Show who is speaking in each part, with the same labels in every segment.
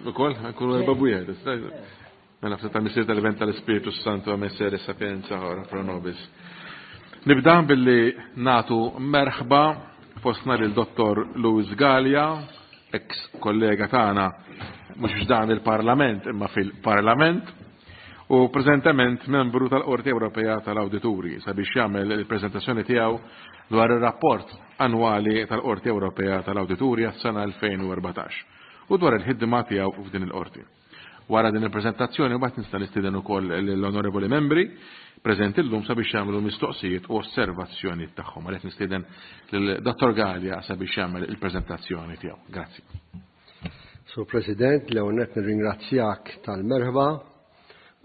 Speaker 1: Ukoll, nkunu erba' bwieħed. Mela f'ta' tal-Missier tal-Iben tal-Ispirtu Santu Amen Sere Sapienza ora pro nobis. Nibda billi natu merħba fostna lil Dottor Louis Gallia, ex kollega tagħna mhux f'dan il-Parlament imma fil-Parlament u preżentement membru tal-Qorti Ewropea tal-Awdituri sabiex jagħmel il-preżentazzjoni tiegħu dwar ir-rapport annwali tal-Qorti Ewropea tal-Awdituri għas-sena 2014 u dwar il-ħidma tiegħu f'din il-qorti. Wara din il-preżentazzjoni mbagħad nista' nistieden ukoll lill-onorevoli membri preżenti llum sabiex jagħmlu mistoqsijiet u osservazzjonijiet tagħhom. Għalhekk nistieden lil Dottor Galea sabiex jagħmel il-preżentazzjoni tiegħu. Grazzi.
Speaker 2: Sur President, l-ewwel nett nirringrazzjak tal-merħba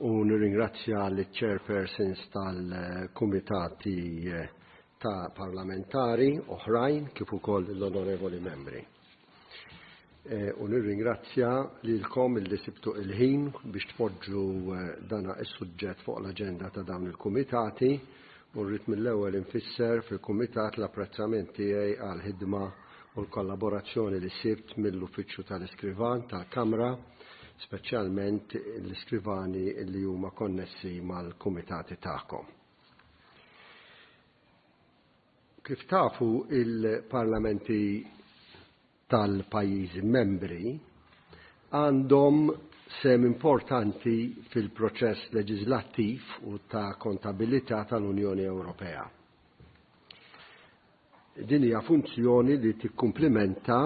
Speaker 2: u nirringrazzja liċ-chairpersons tal-kumitati ta' parlamentari oħrajn kif ukoll l-onorevoli membri. Eh, u nirringrazzja lilkom illi sibtu il-ħin biex tpoġġu eh, dana is-suġġett fuq l-aġenda ta' dawn il-kumitati u rrid mill-ewwel infisser fil-kumitat l-apprezzament tiegħi għal ħidma u l-kollaborazzjoni li sibt mill-Uffiċċju tal-Iskrivan tal-Kamra, speċjalment l-iskrivani li huma konnessi mal-kumitati tagħkom. Kif tafu il-parlamenti tal-pajjiżi membri għandhom sehem importanti fil-proċess leġislattiv u ta' kontabilità tal-Unjoni Ewropea. Din hija funzjoni li tikkumplimenta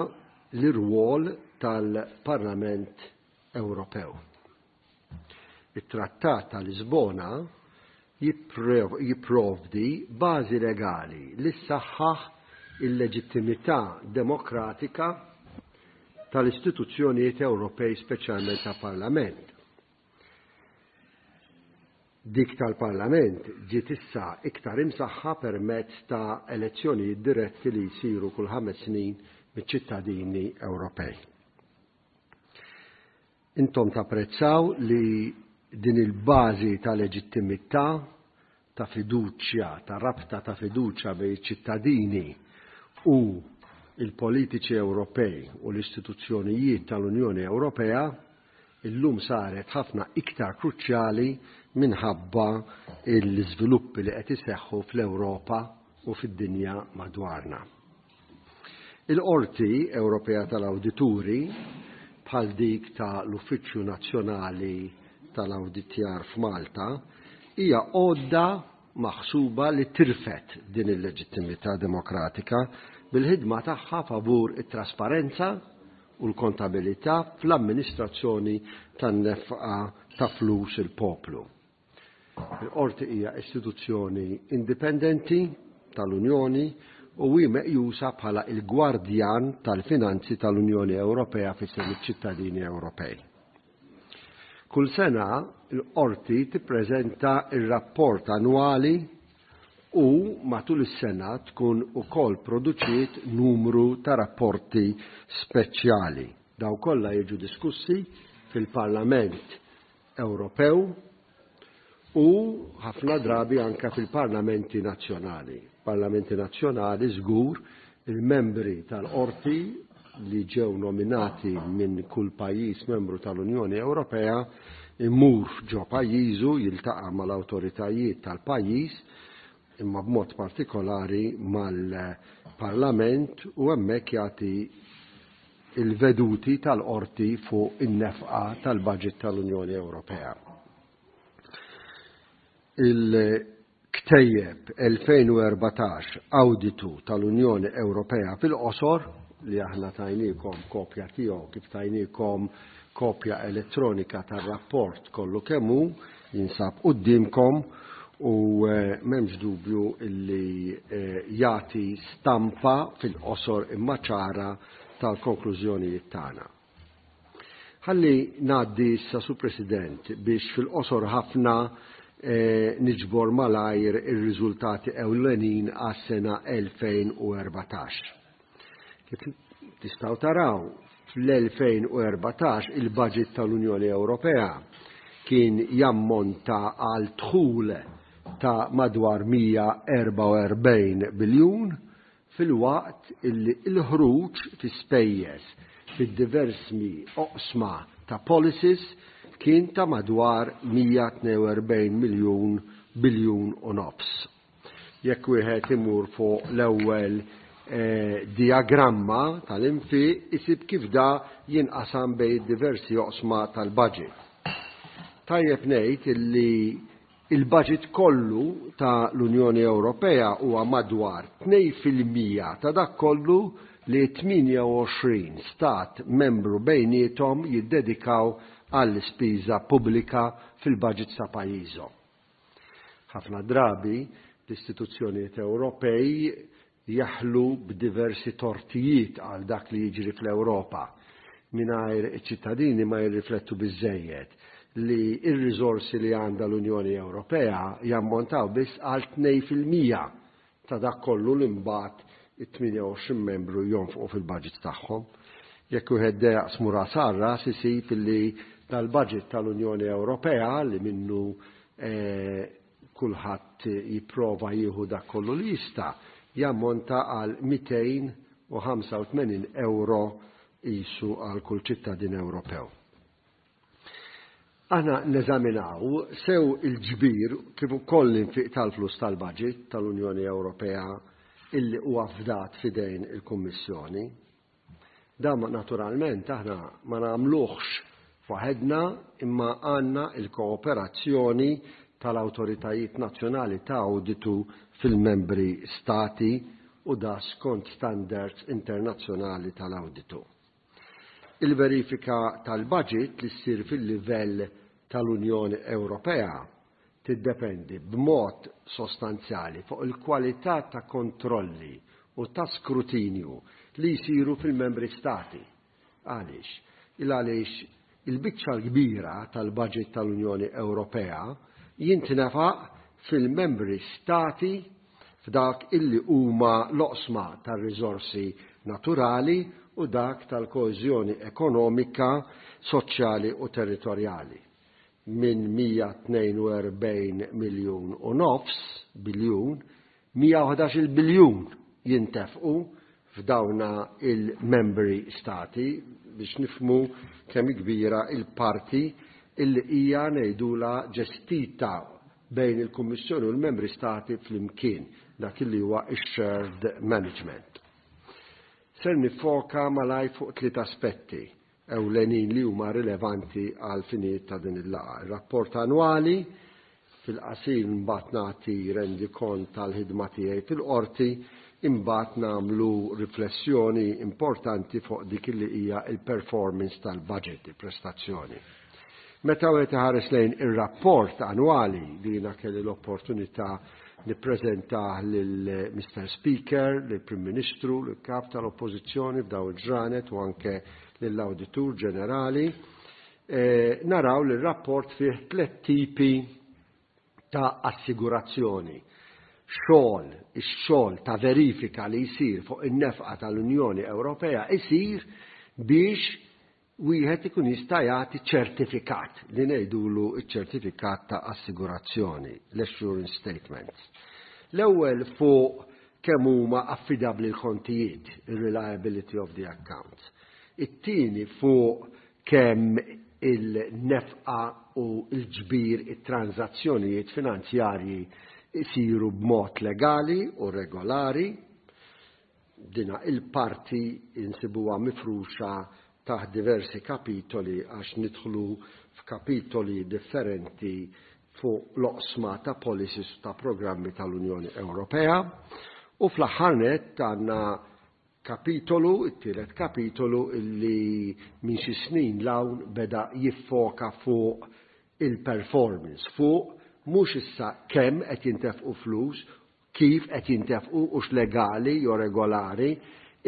Speaker 2: l-irwol tal-Parlament Ewropew. It-Trattat ta' Lisbona jipprovdi bażi legali li ssaħħaħ il-leġittimità demokratika tal-istituzzjonijiet Ewropej speċjalment tal-Parlament. Dik tal-Parlament ġiet issa iktar imsaħħa permezz ta' elezzjonijiet diretti li jsiru kull ħames snin miċ-ċittadini Ewropej. Intom tapprezzaw li din il-bażi ta' leġittimità, ta' fiduċja, ta' rabta ta' fiduċja bejn iċ-ċittadini u l-politiċi Ewropej u l-istituzzjonijiet tal-Unjoni Ewropea illum saret ħafna iktar kruċjali minħabba l-iżviluppi li qed iseħħu fl-Ewropa u fid-dinja madwarna. Il-Qorti Ewropea tal-Awdituri, bħal dik ta' l-Uffiċċju Nazzjonali tal-Awditjar f'Malta, hija għodda maħsuba li tirfed din il-leġittimità demokratika bil-ħidma tagħha favur it-trasparenza u l-kontabilità fl-amministrazzjoni tan-nefqa ta' flus il-poplu. Il-Qorti hija istituzzjoni indipendenti tal-Unjoni u hi meqjusa bħala il-gwardjan tal-finanzi tal-Unjoni Ewropea f'isem iċ-ċittadini Ewropej. Kull sena l-Qorti tippreżenta r-rapport annwali u matul is-sena tkun ukoll produċiet numru ta' rapporti speċjali. Daw kollha jiġu diskussi fil-Parlament Ewropew u ħafna drabi anke fil-parlamenti nazzjonali. Parlamenti nazzjonali żgur il-membri tal-qorti li ġew nominati minn kull pajjiż membru tal-Unjoni Ewropea imur ġo pajjiżu jiltaqa' mal-awtoritajiet tal-pajjiż imma b'mod partikolari mal-Parlament u hemmhekk jagħti il-veduti tal-qorti fuq in-nefqa tal-budget tal-Unjoni Ewropea. Il-ktejjeb 2014 Awditu tal-Unjoni Ewropea fil-qosor li aħna tajnikom kopja tiegħu kif tajnikom kopja elettronika tar-rapport kollu kemm hu jinsab quddiemkom u eh, m'hemmx dubju illi eh, jagħti stampa fil-qosor imma ċara tal-konklużjonijiet tagħna. Ħalli ngħaddi issa Sur President biex fil-qosor ħafna eh, niġbor malajr ir-riżultati ewlenin għas-sena 2014. Kif tistgħu taraw, fl-2014 il-budget tal-Unjoni Ewropea kien jammonta għal dħul ta' madwar 144 biljun filwaqt illi l-ħruġ fi spejjeż fid-diversi oqsma ta' policies kien ta' madwar 142 miljun biljun u nofs. Jekk wieħed imur fuq l-ewwel dijagramma tal-infiq isib kif da jinqasam bejn diversi oqsma tal-budget. Tajjeb ngħid illi il-budget kollu ta' l-Unjoni Ewropea huwa madwar 2% ta' dak kollu li 28 stat membru bejniethom jiddedikaw għall-ispiża pubblika fil-budget ta' pajjiżhom. Ħafna drabi l-istituzzjonijiet Ewropej jaħlu b'diversi tortijiet għal dak li jiġri fl-Ewropa mingħajr iċ-ċittadini ma jirriflettu biżżejjed li r-riżorsi li għandha l-Unjoni Ewropea jammontaw biss għal 2% ta' dak kollu li mbagħad it-28 membru jonfqu fil-budget tagħhom. Jekk wieħed jaqsmu ras għal ras isib li dal-budget tal-Unjoni Ewropea li minnu kulħadd jipprova jieħu dak kollu li jista' jammonta għal 285 euro jisu għal kull ċittadin Ewropew. Aħna neżaminaw sew il-ġbir kif ukoll l-infiq tal-flus tal-budget tal-Unjoni Ewropea illi huwa fdat fidejn il-Kummissjoni. Dan naturalment aħna ma nagħmluhx waħedna, imma għandna il-kooperazzjoni tal-awtoritajiet nazzjonali ta' awditu fil-membri stati u da skont standards internazzjonali tal-awditu. Il-verifika tal-budget li ssir fil-livell tal-Unjoni Ewropea tiddependi b'mod sostanzjali fuq il-kwalità ta' kontrolli u ta' skrutinju li jsiru fil-membri stati. Għaliex? Il għaliex il-biċċa l-kbira tal-budget tal-Unjoni Ewropea jintnefaq fil-membri stati f'dak illi huma l-oqsma tar-riżorsi naturali u dak tal-koeżjoni ekonomika, soċjali u territorjali. Minn 142 miljun u nofs biljun, 111 biljun jintefqu f'dawna il-membri stati biex nifmu kemm kbira il-parti illi hija ngħidula ġestita bejn il-Kummissjoni u l-membri stati flimkien, dak illi huwa shared management. Ser nifoka malaj fuq tliet aspetti ewlenin li huma rilevanti għal finijiet ta' din il-laqgħa. Ir-rapport annwali fil-qasir, mbagħad nagħti rendikont tal-ħidma tiegħi fil-qorti, imbagħad nagħmlu riflessjoni importanti fuq dik li hija il-performance tal-budget, il-prestazzjoni. Meta wieħed iħares lejn ir-rapport annwali li jiena kelli l-opportunità nippreżentah lil Mr. Speaker, lill Prim Ministru, lill Kap tal-Oppożizzjoni f'daw il-ġranet u anke lill-Awditur Ġenerali, naraw li r-rapport fih tliet tipi ta' assigurazzjoni. Xogħol, ix-xogħol ta' verifika li jsir fuq in-nefqa tal-Unjoni Ewropea isir biex wieħed ikun jista' jagħti ċertifikat li ngħidulu ċ-ċertifikat ta' assigurazzjoni, l-assurance statements. L-ewwel fuq kemm huma affidabbli l-kontijiet, il-reliability of the accounts. It-tieni fuq kemm il-nefqa u l-ġbir, it-transazzjonijiet finanzjarji isiru b'mod legali u regolari. Dina il-parti insibuha mifruxa taħt diversi kapitoli għax nidħlu f'kapitoli differenti fuq l-oqsma ta' policies ta' programmi tal-Unjoni Ewropea. U fl-aħħar nett għandna kapitolu, it-tielet kapitolu, illi minn xi snin 'l hawn beda jiffoka fuq il-performance, fuq mhux issa kemm qed jintefqu flus, kif qed jintefqu u legali jew regolari,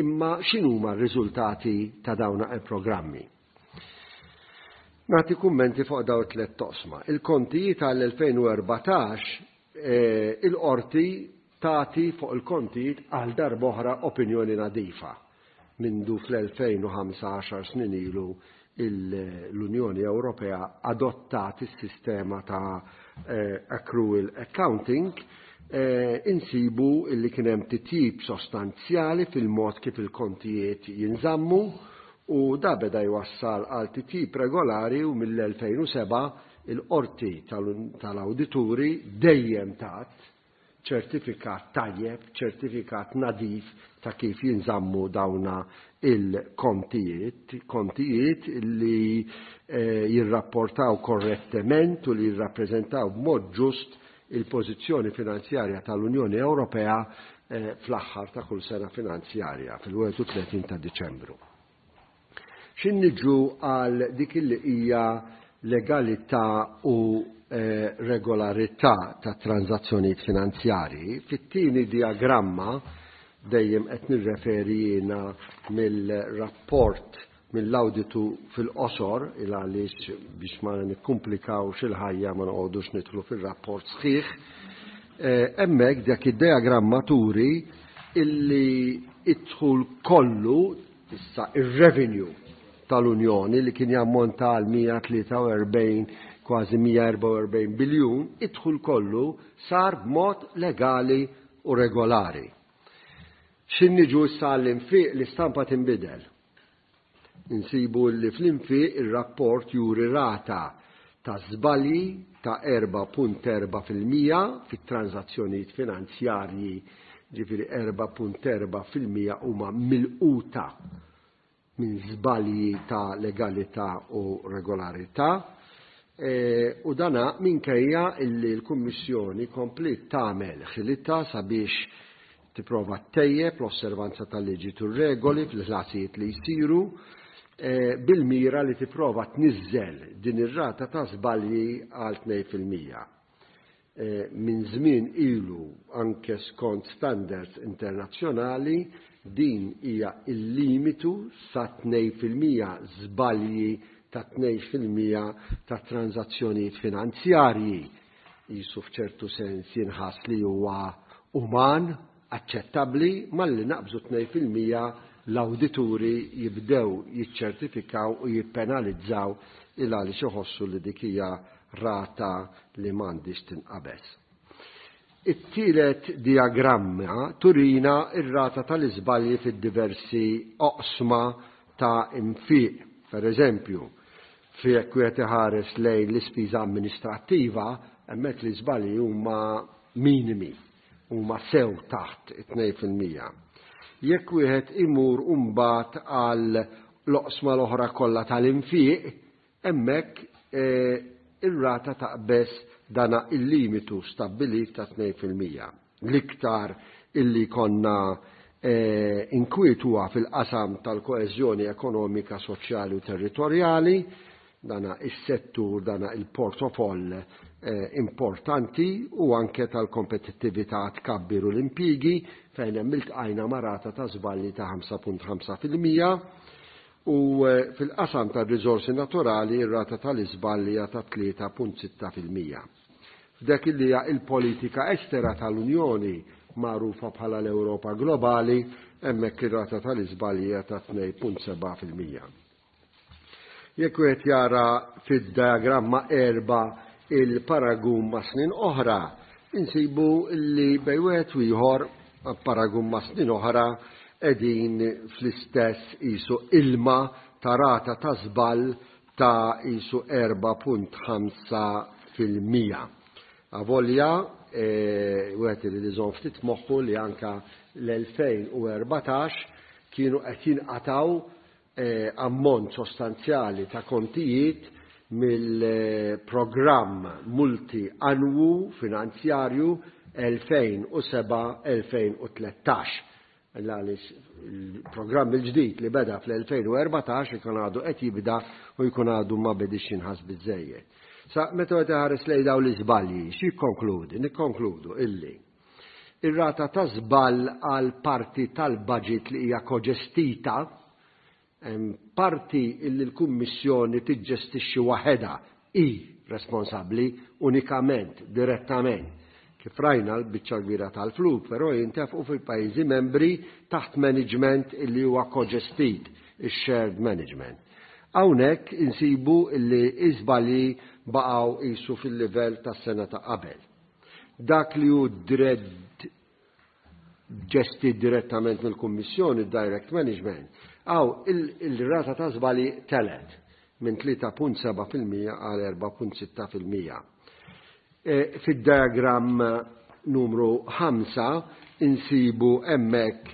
Speaker 2: imma x'inhuma r-riżultati ta' dawn il-programmi. Nagħti kummenti fuq dawn tliet oqsma. Il-kontijiet għall-2014, il-qorti tagħti fuq il-kontijiet għal darb'oħra opinjoni nadifa. Mindu fl-2005, 10 snin ilu, l-Unjoni Ewropea adottat is-sistema ta' accrual accounting, insibu illi kien hemm titjib sostanzjali fil-mod kif il-kontijiet jinżammu. U da beda jwassal għal titjib regolari u mill-2007 il-Qorti tal-Awdituri dejjem tat ċertifikat tajjeb, ċertifikat nadif ta' kif jinżammu dawna il-kontijiet, kontijiet li eh, jirrapportaw korrettement u li jirrappreżentaw b'mod ġust il-pożizzjoni finanzjarja tal-Unjoni Ewropea eh, fl-aħħar ta' kull sena finanzjarja fil-31 ta' Diċembru. X'in niġu għal dik li hija legalità u eh, regolarità ta' tranzazzjonijiet finanzjarji, fit-tieni diagramma dejjem qed nirreferi jiena mill-rapport mill-awditu fil-qosor il għaliex biex ma nikkumplikawx il-ħajja ma noqogħdux nidħlu fir-rapport sħiħ. Eh, hemmhekk dak id-diagramma turi illi id-dħul kollu issa ir-revenue tal-Unjoni li kien jammonta għal 143 kważi 144 biljun, id-dħul kollu sar b'mod legali u regolari. X'in niġu issa għall-infiq l-istampa tinbidel. Insibu li fl-infiq ir-rapport juri rata ta' żbalji ta' 4.4% fit-transazzjonijiet finanzjarji, ġifieri 4.4% huma milquta minn żbalji ta' legalità u regolarità. E, u dana minkejja illi l-Kummissjoni kompliet tagħmel ħilitha sabiex tipprova ttejjeb l-osservanza tal-liġi u regoli fil-ħlasijiet li jsiru e, bil-mira li tipprova tniżżel din ir-rata ta' żbalji għal 2%. E, minn żmien ilu anke skont standards internazzjonali din hija il-limitu sa 2% żbalji ta' 2% ta' tranzazzjonijiet finanzjarji jisu f'ċertu sens jinħass li huwa uman, aċċettabbli, malli naqbżu 2% l-awdituri jibdew jiċċertifikaw u jippenalizzaw il għaliex iħossu li dik hija rata li m'għandix tinqabeż. It-tielet diagramma turina ir-rata tal-iżbalji fid-diversi oqsma ta' infiq. Per eżempju, fi jekk wieħed iħares lejn l-ispiża amministrattiva, hemmhekk l-iżbalji huma minimi, huma sew taħt it-2%. Jekk wieħed imur mbagħad għal l-oqsma l-oħra kollha tal-infiq, hemmhekk eh, ir-rata taqbeż dana il-limitu stabbilit ta' 2%. L-iktar illi konna eh, inkwiet huwa fil-qasam tal-koeżjoni ekonomika, soċjali u territorjali, dana is-settur, dana il-portofoll eh, importanti u anke tal-kompetittività tkabbir u l-impigi fejn hemm iltqajna ma' rata ta' żbalji ta' 5.5% u eh, fil-qasam tar-riżorsi naturali ir-rata tal-iżbalji hija ta' 3.6%. F'dak li hija il-politika estera tal-Unjoni magħrufa bħala l-Ewropa Globali, hemmhekk ir-rata tal-iżbalji hija ta' 2.7%. Jekk wieħed jara fid-diagramma erba' il-paragun ma' snin oħra, insibu li bejn wieħed u ieħor paragun ma' snin oħra qegħdin fl-istess qisu ilma ta' rata ta' żball ta' qisu 4.5 fil-mija. Avolja, e, wieħed irid iżomm ftit moħħu li anka l-2014 kienu qed jinqataw eh, ammont sostanzjali ta' kontijiet mill-programm multi annwu finanzjarju 2007-2013. Għaliex il-programm il-ġdid li beda fl-2014 ikun għadu qed jibda u jkun għadu ma bedix jinħass biżejjed. Sa meta qed iħares lejn dawn l-iżbalji, x'jikkonkludi? Nikkonkludu illi ir-rata ta' żball għal parti tal-budget li hija koġestita parti illi l-Kummissjoni tiġġestixxi waħedha hi responsabbli unikament, direttament. Kif rajna l-biċċa kbira tal-flus, però jintefqu fil-pajjiżi membri taħt management illi huwa koġestit, ix-shared management. Hawnhekk insibu illi iżbalji baqgħu qisu fil-livell tas-sena ta' qabel. Dak li hu ġestit direttament mill-Kummissjoni, direct management, Hawn il-rata ta' żbalji telgħet minn 3.7% għal 4.6%. Fid-diagram numru 5 insibu hemmhekk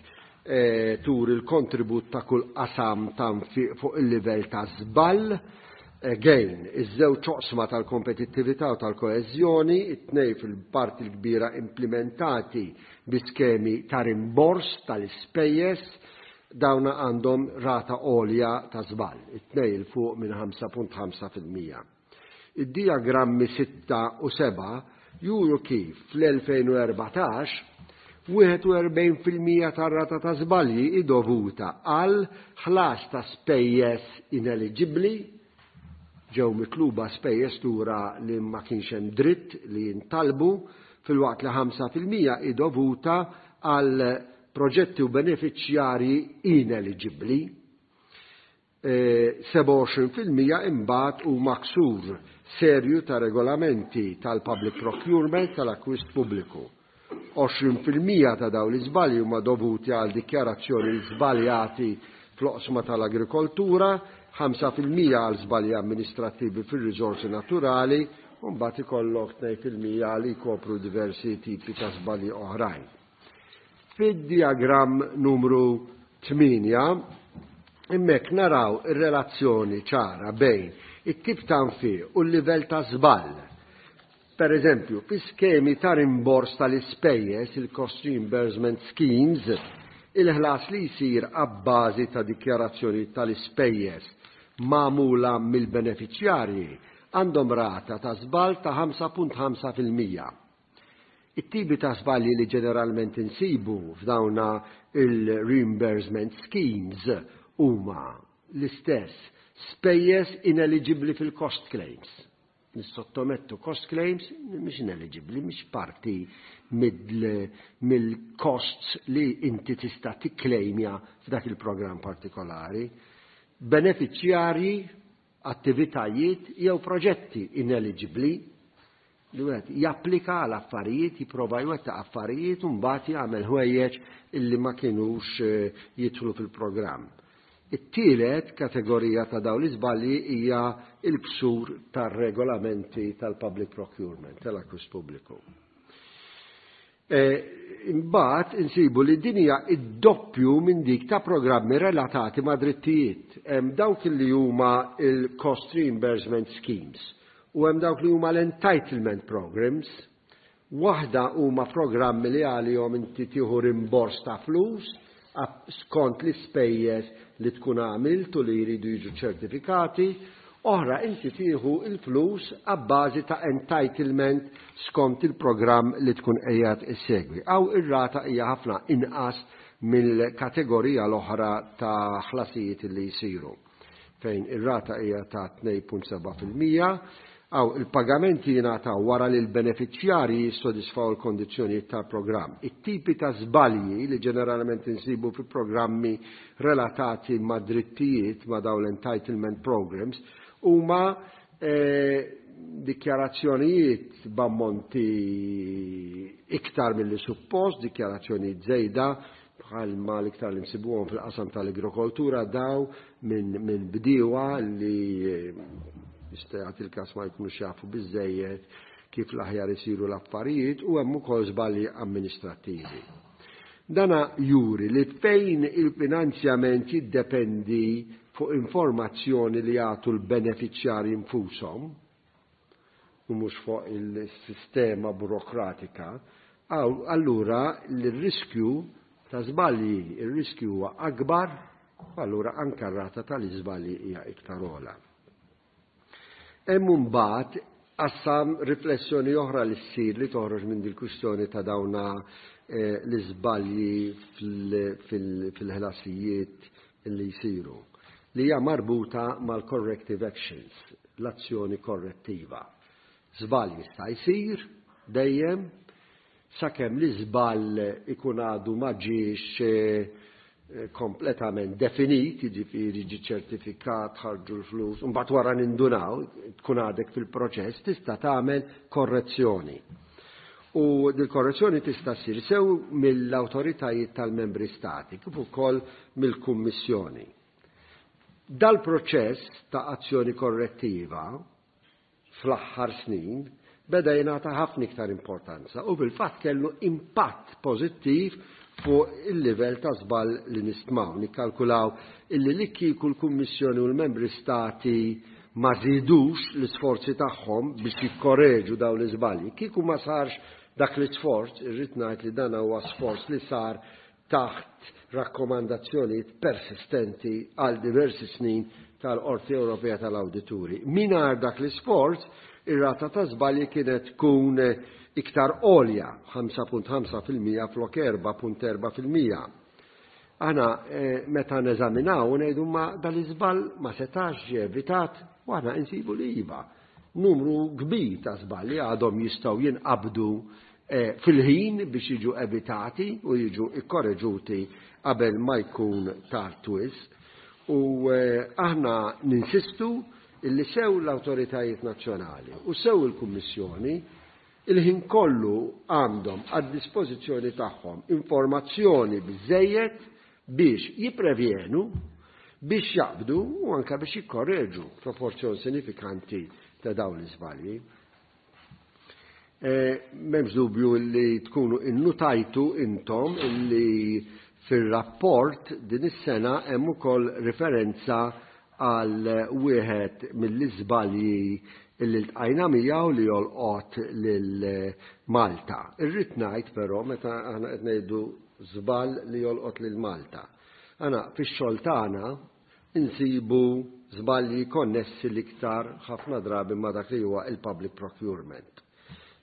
Speaker 2: tur il-kontribut ta' kull qasam ta' nfiq fuq il-livell ta' żball. Again, iż-żewġ oqsma tal-kompetittività u tal-koeżjoni, it-tnejn fil-parti l-kbira implimentati bi skemi ta' rimbors tal-ispejjeż, dawna għandhom rata għolja ta' żball, it-tnejn 'il fuq minn 5.5%. Id-dijagrammi 6 u 7 juru kif fl-2014 41% tar-rata ta' żbalji hi dovuta għal ħlas ta' spejjeż ineliġibbli, ġew mitluba spejjeż lura li ma kienx hemm dritt li jintalbu, filwaqt li 5% hi dovuta għal proġetti u benefiċjarji ineliġibbli. 27% imbagħad huma ksur serju ta' regolamenti tal-public procurement, tal-akkwist pubbliku. 20% ta' dawn l-iżbalji huma dovuti għal dikjarazzjoni żbaljati fl-oqsma tal-agrikoltura, 5% għal żbalji amministrattivi fir-riżorsi naturali, u mbagħad ikollok 2% li jkopru diversi tipi ta' żbalji oħrajn. Fid-diagramm numru 8 hemmhekk naraw ir-relazzjoni ċara bejn it-tip ta' nfiq u l-livell ta' żball. Per eżempju, fi skemi ta' rimbors tal-ispejjeż, il-cost reimbursement schemes, il-ħlas li jsir abbażi ta' dikjarazzjoni tal-ispejjeż magħmula mill-beneficjarji għandhom rata ta' żball ta' 5.5%. It-tipi ta' żbalji li ġeneralment insibu f'dawna il-reimbursement schemes huma l-istess spejjeż ineligibbli fil-cost claims. Nissottomettu cost claims mhix ineligibbli, mhix parti mill-costs li inti tista' tikklejmja f'dak il-programm partikolari. Beneficjarji, attivitajiet jew proġetti ineligibbli li wieħed japplika għal affarijiet, jipprova jwettaq affarijiet u mbagħad jagħmel ħwejjeġ illi ma kinux jidħlu fil-programm. It-tielet kategorija ta' dawn l-iżbalji hija l-ksur tar-regolamenti tal-public procurement, tal-akkwist pubbliku. Imbagħad insibu li din hija id-doppju minn dik ta' programmi relatati ma' drittijiet. Hemm dawk li huma il-cost reimbursement schemes u hemm dawk li huma l-entitlement programs. Waħda huma programmi li għalihom inti tieħu rimbors ta' flus skont l-ispejjeż li tkun għamilt u li jridu jiġu ċertifikati, oħra inti tieħu il-flus abbażi ta' entitlement skont il-programm li tkun qiegħed issegwi. Aw ir-rata hija ħafna inqas mill-kategorija l-oħra ta' ħlasijiet li jsiru, fejn ir-rata hija ta' 2.7%. Aw il-pagamenti jingħataw wara li l-beneficjarji jissodisfaw il-kondizzjonijiet tal-programm. It-tipi ta' żbalji li ġeneralment insibu fi programmi relatati ma' drittijiet, ma' dawn l-entitlement programs, huma dikjarazzjonijiet b'ammonti iktar milli suppost, dikjarazzjonijiet żejda, bħalma l-iktar li nsibuhom fil-qasam tal-agrikoltura daw minn bdiewa li jista' jagħti il-każ ma jkunux jafu biżejjed kif l-aħjar isiru l-affarijiet, u hemm ukoll żbalji amministrattivi. Dana juri li fejn il-finanzjament jiddependi fuq informazzjoni li jagħtu l-beneficjarji nfushom u mhux fuq il-sistema burokratika, allura l-riskju ta' żbalji, il-riskju huwa akbar, u allura anke r-rata tal-iżbalji hija iktar ogħla. Hemm imbagħad qassam riflessjoni oħra li ssir li toħroġ minn dil-kwistjoni ta' dawna l-iżbalji fil-ħlasijiet li jsiru, li hija marbuta mal-corrective actions, l-azzjoni korrettiva. Żball jista' jsir dejjem sakemm l-iżball ikun għadu ma ġiex kompletament definit, jiġifieri ġi ċertifikat, ħarġu l-flus, u mbagħad wara nindunaw, tkun għadek fil-proċess, tista' tagħmel korrezzjoni. U dil-korrezzjoni tista' ssir sew mill-awtoritajiet tal-membri stati, kif ukoll mill-Kummissjoni. Dal-proċess ta' azzjoni korrettiva fl-aħħar snin beda jingħata ħafna iktar importanza u fil-fatt kellu impatt pożittiv fuq il-livell ta' żball li nistmaw. Nikkalkulaw illi li kieku l-Kummissjoni u l-Membri Stati ma żidux l-isforzi tagħhom biex jikkoreġu dawn l-iżbalji, kieku ma sarx dak l-isforz, irrid ngħid li dan huwa sforz li sar taħt rakkomandazzjonijiet persistenti għal diversi snin tal-Qorti Ewropea tal-Awdituri. Mingħajr dak l-isforz, ir-rata ta' żbalji kienet tkun iktar għolja, 5.5% flok 4.4%. Aħna meta neżaminaw ngħidu ma dal-iżball ma setax ġie evitat u aħna insibu li iva. Numru kbir ta' żbalji għadhom jistgħu jinqabdu fil-ħin biex jiġu evitati u jiġu ikkoreġuti qabel ma jkun tard wisq. U aħna ninsistu illi sew l-awtoritajiet nazzjonali u sew il-Kummissjoni il-ħin kollu għandhom għad-dispożizzjoni tagħhom informazzjoni biżżejjed biex jipprevjenu, biex jaqbdu u anke biex jikkorreġu proporzjon sinifikanti ta' dawn l-iżbalji. M'hemmx dubju li tkunu innutajtu intom illi fir-rapport din is-sena hemm ukoll riferenza għal wieħed mill-iżbalji illi ltqajna miegħu li jolqot lil Malta. Irrid ngħid però meta aħna qed ngħidu żball li jolqot lil Malta. Aħna fix-xogħol tagħna insibu żbalji konnessi l-iktar ħafna drabi ma' dak li huwa il-public procurement.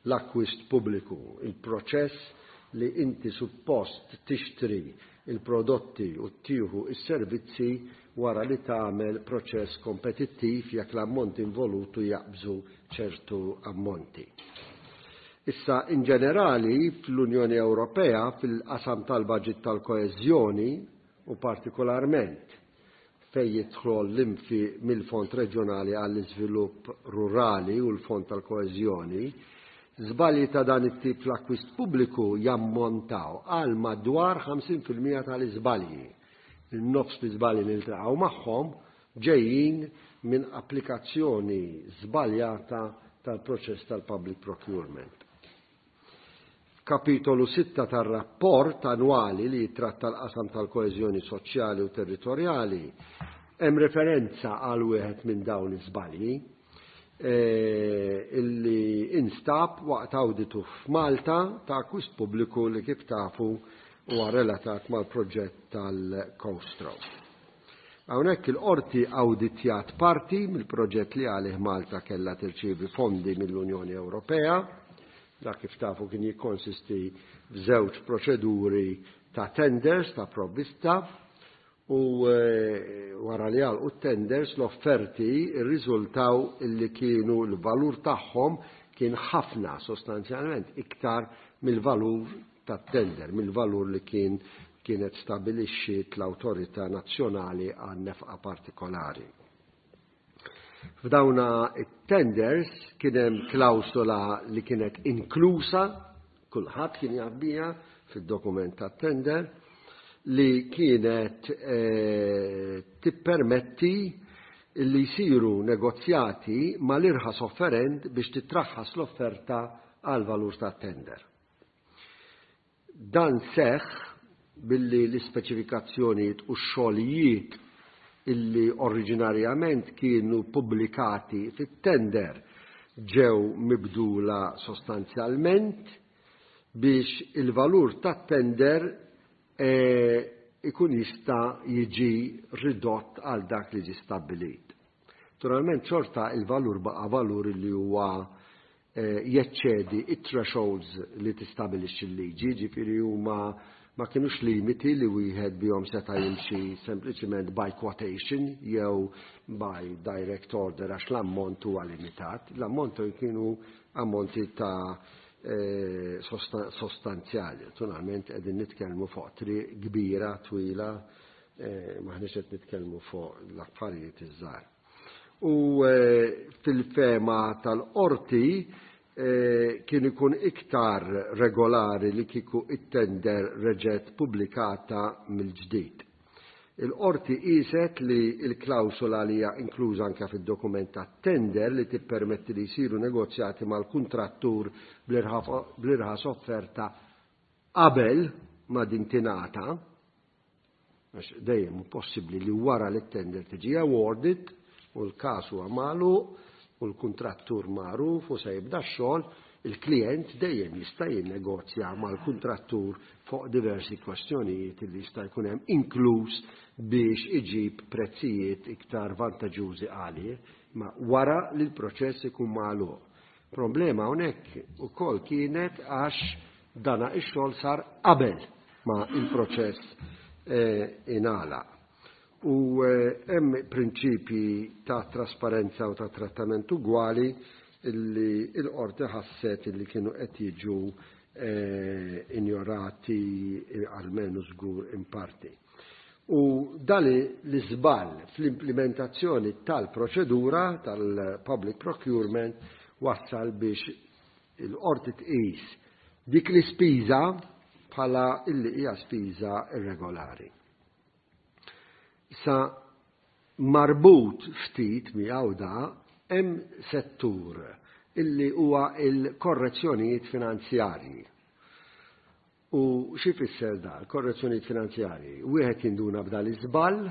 Speaker 2: L-akkwist pubbliku, il-proċess li inti suppost tixtri il-prodotti u tieħu is-servizzi wara li tagħmel proċess kompetittiv jekk l-ammonti involutu jaqbżu ċertu ammonti. Issa, in ġenerali, fl-Unjoni Ewropea, fil-qasam tal-baġit tal-koeżjoni u partikolarment fejn jidħol l-infiq mill-Fond Reġjonali għall-Iżvilupp Rurali u l-Fond tal-Koeżjoni, żbalji ta' dan it-tip fl-akkwist pubbliku jammontaw għal madwar 50% tal-iżbalji. Il-nofs l-iżbalji li niltaqgħu magħhom ġejjin minn applikazzjoni żbaljata tal-proċess tal-public procurement. Kapitolu 6 tar-rapport annwali li jitratta l-qasam tal-koeżjoni soċjali u territorjali hemm referenza għal wieħed minn dawn iż-żbalji illi instab waqt awditu f'Malta ta' akkwist pubbliku li kif tafu huwa relatat mal-proġett tal-Coast Road. Hawnhekk il-qorti awditjat parti mill-proġett li għalih Malta kellha tirċievi fondi mill-Unjoni Ewropea. Dak kif tafu kien jikkonsisti f'żewġ proċeduri ta' tenders ta' provvista u wara li għalqu tenders l-offerti rriżultaw illi kienu l-valur tagħhom kien ħafna sostanzjalment iktar mill-valur tat-tender, mill-valur li kien kienet stabilixxiet l-Awtorità Nazzjonali għal nefqa partikolari. F'dawna it-tenders kien hemm klawsola li kienet inklusa, kulħadd kien jaf biha fid-dokument tat-tender, li kienet tippermetti li jsiru negozjati mal-irħas offerent biex titraħħas l-offerta għal valur tat-tender. Dan seħħ billi l-ispeċifikazzjonijiet u x-xogħlijiet illi oriġinarjament kienu pubblikati fit-tender ġew mibdula sostanzjalment biex il-valur tat-tender ikun jista' jiġi ridott għal dak li ġie stabbilit. Naturalment xorta il-valur baqa' valur li huwa jeċċedi it-thresholds li tistabilixxi l-liġi, ġifieri huma ma kinux limiti li wieħed bihom seta' jimxi sempliċiment by quotation jew by direct order għax l-ammont huwa limitat. L-ammont kienu ammonti ta' sostanzjali. Naturalment qegħdin nitkellmu fuq triq kbira, twila, maħniex qed nitkellmu fuq l-affarijiet iż-żgħar. U fil-fehma tal-qorti kien ikun iktar regolari li kieku it-tender reġet pubblikata mill-ġdid. Il-Qorti qieset li l-klawsola li hija inkluża anke fid-dokument tat-tender li tippermetti li jsiru negozjati mal-kuntrattur bl-irħas offerta qabel ma din tingħata, għax dejjem hu possibbli li wara li t-tender tiġi awarded u l-każ huwa magħluq u l-kuntrattur magħruf u se jibda x-xogħol, il-klijent dejjem jista' jinnegozja mal-kuntrattur fuq diversi kwestjonijiet li jista' jkun hemm, inkluż biex iġib prezzijiet iktar vantaġġużi għalih, ma wara li l-proċess ikun magħluq. Problema hawnhekk ukoll kienet għax dana ix-xogħol sar qabel ma il-proċess ingħalaq. U hemm prinċipji ta' trasparenza u ta' trattament ugwali illi l-qorti ħasset illi kienu qed jiġu injorati almenu żgur in parti. U dan l-iżball fl-implementazzjoni tal-proċedura tal-public procurement wassal biex il-qorti tqis dik l-ispiża bħala illi hija spiża irregolari. Sa marbut ftit miegħu da hemm settur illi huwa il-korrezzjonijiet finanzjarji. U xi fisser da, korrezzjonijiet finanzjarji? Wieħed jinduna b'dal iżball,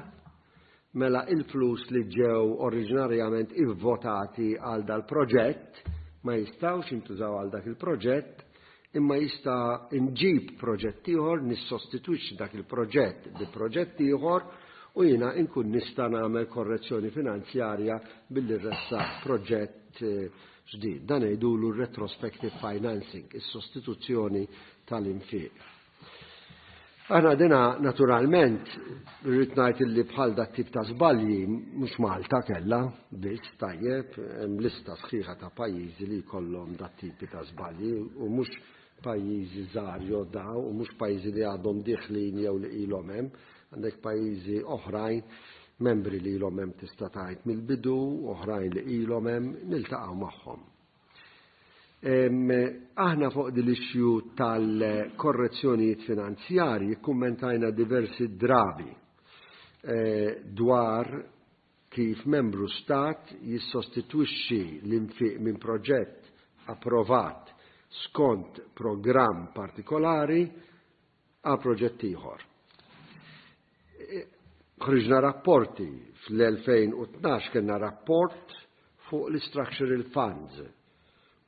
Speaker 2: mela il-flus li ġew oriġinarjament ivvotati għal dal-proġett ma jistgħux jintużaw għal dak il-proġett, imma jista' nġib proġett ieħor, nissostitwixxi dak il-proġett bi proġett ieħor u jiena nkun nista' nagħmel korrezzjoni finanzjarja billi ressaq proġett ġdid. Dan jgħidulu retrospective financing, is-sostituzzjoni tal-infiq. Aħna dina naturalment rrid ngħid illi bħal dat tip ta' żbalji mhux Malta kellha biss, tajjeb, hemm lista sħiħa ta' pajjiżi li jkollhom dat tipi ta' żbalji u mhux pajjiżi żgħar jew daw u mhux pajjiżi li għadhom diħlin jew li ilhom hemm, għandek pajjiżi oħrajn membri li ilhom hemm tista' tgħid mill-bidu, oħrajn li ilhom hemm, niltaqgħu magħhom. Aħna fuq din l-issue tal-korrezzjonijiet finanzjarji kummentajna diversi drabi dwar kif membru stat jissostitwixxi l-infiq minn proġett approvat skont programm partikolari għal proġett ieħor. Ħriġna rapporti fl-2012, kellna rapport fuq l-structural funds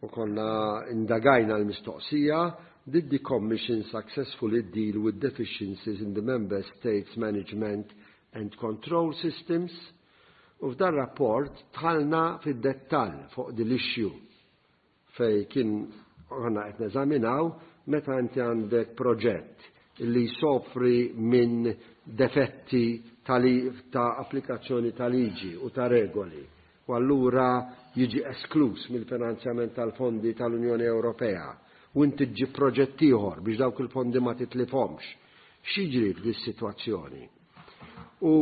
Speaker 2: u konna indagajna l-mistoqsija: "Did the Commission successfully deal with deficiencies in the member states' management and control systems?" U f'dan rapport dħalna fid-dettall fuq din l-issue fej kien għana qed neżaminaw meta inti għandek proġett li jsofri minn defetti ta' applikazzjoni ta' liġi u ta' regoli u allura jiġi esklus mill-finanzjament tal-fondi tal-Unjoni Ewropea u inti ġġib proġett ieħor biex dawk il-fondi ma titlifhomx. X'jiġri f'dis-sitwazzjoni? U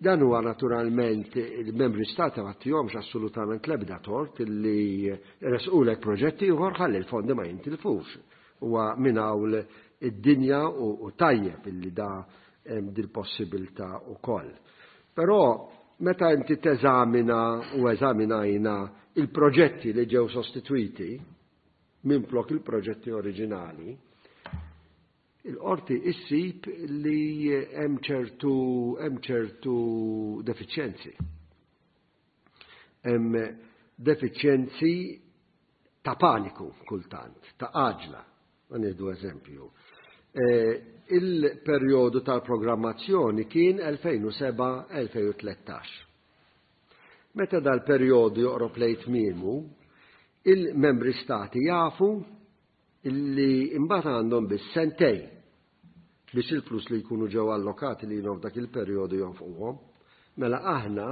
Speaker 2: dan huwa naturalment il-membri stati ma tihomx assolutament l-ebda tort li resqulek proġett ieħor ħalli l-fondi ma jintilfux. Huwa minn hawn id-dinja u tajjeb illi da hemm dil-possibilità ukoll. Però meta inti teżamina u eżaminajna il-proġetti li ġew sostitwiti minflok il-proġetti oriġinali, il-qorti issib li hemm ċertu defiċjenzi. Hemm defiċjenzi ta' paniku kultant, ta' għaġla, nieħdu eżempju. Il-perjodu tal-programmazzjoni kien 2007-2013. Meta dal-perjodu joqrob lejn tmiemu, il-membri stati jafu illi imbagħad għandhom biss sentejn biex il-flus li jkunu ġew allokati li dak il-perjodu jonfquhom. Mela aħna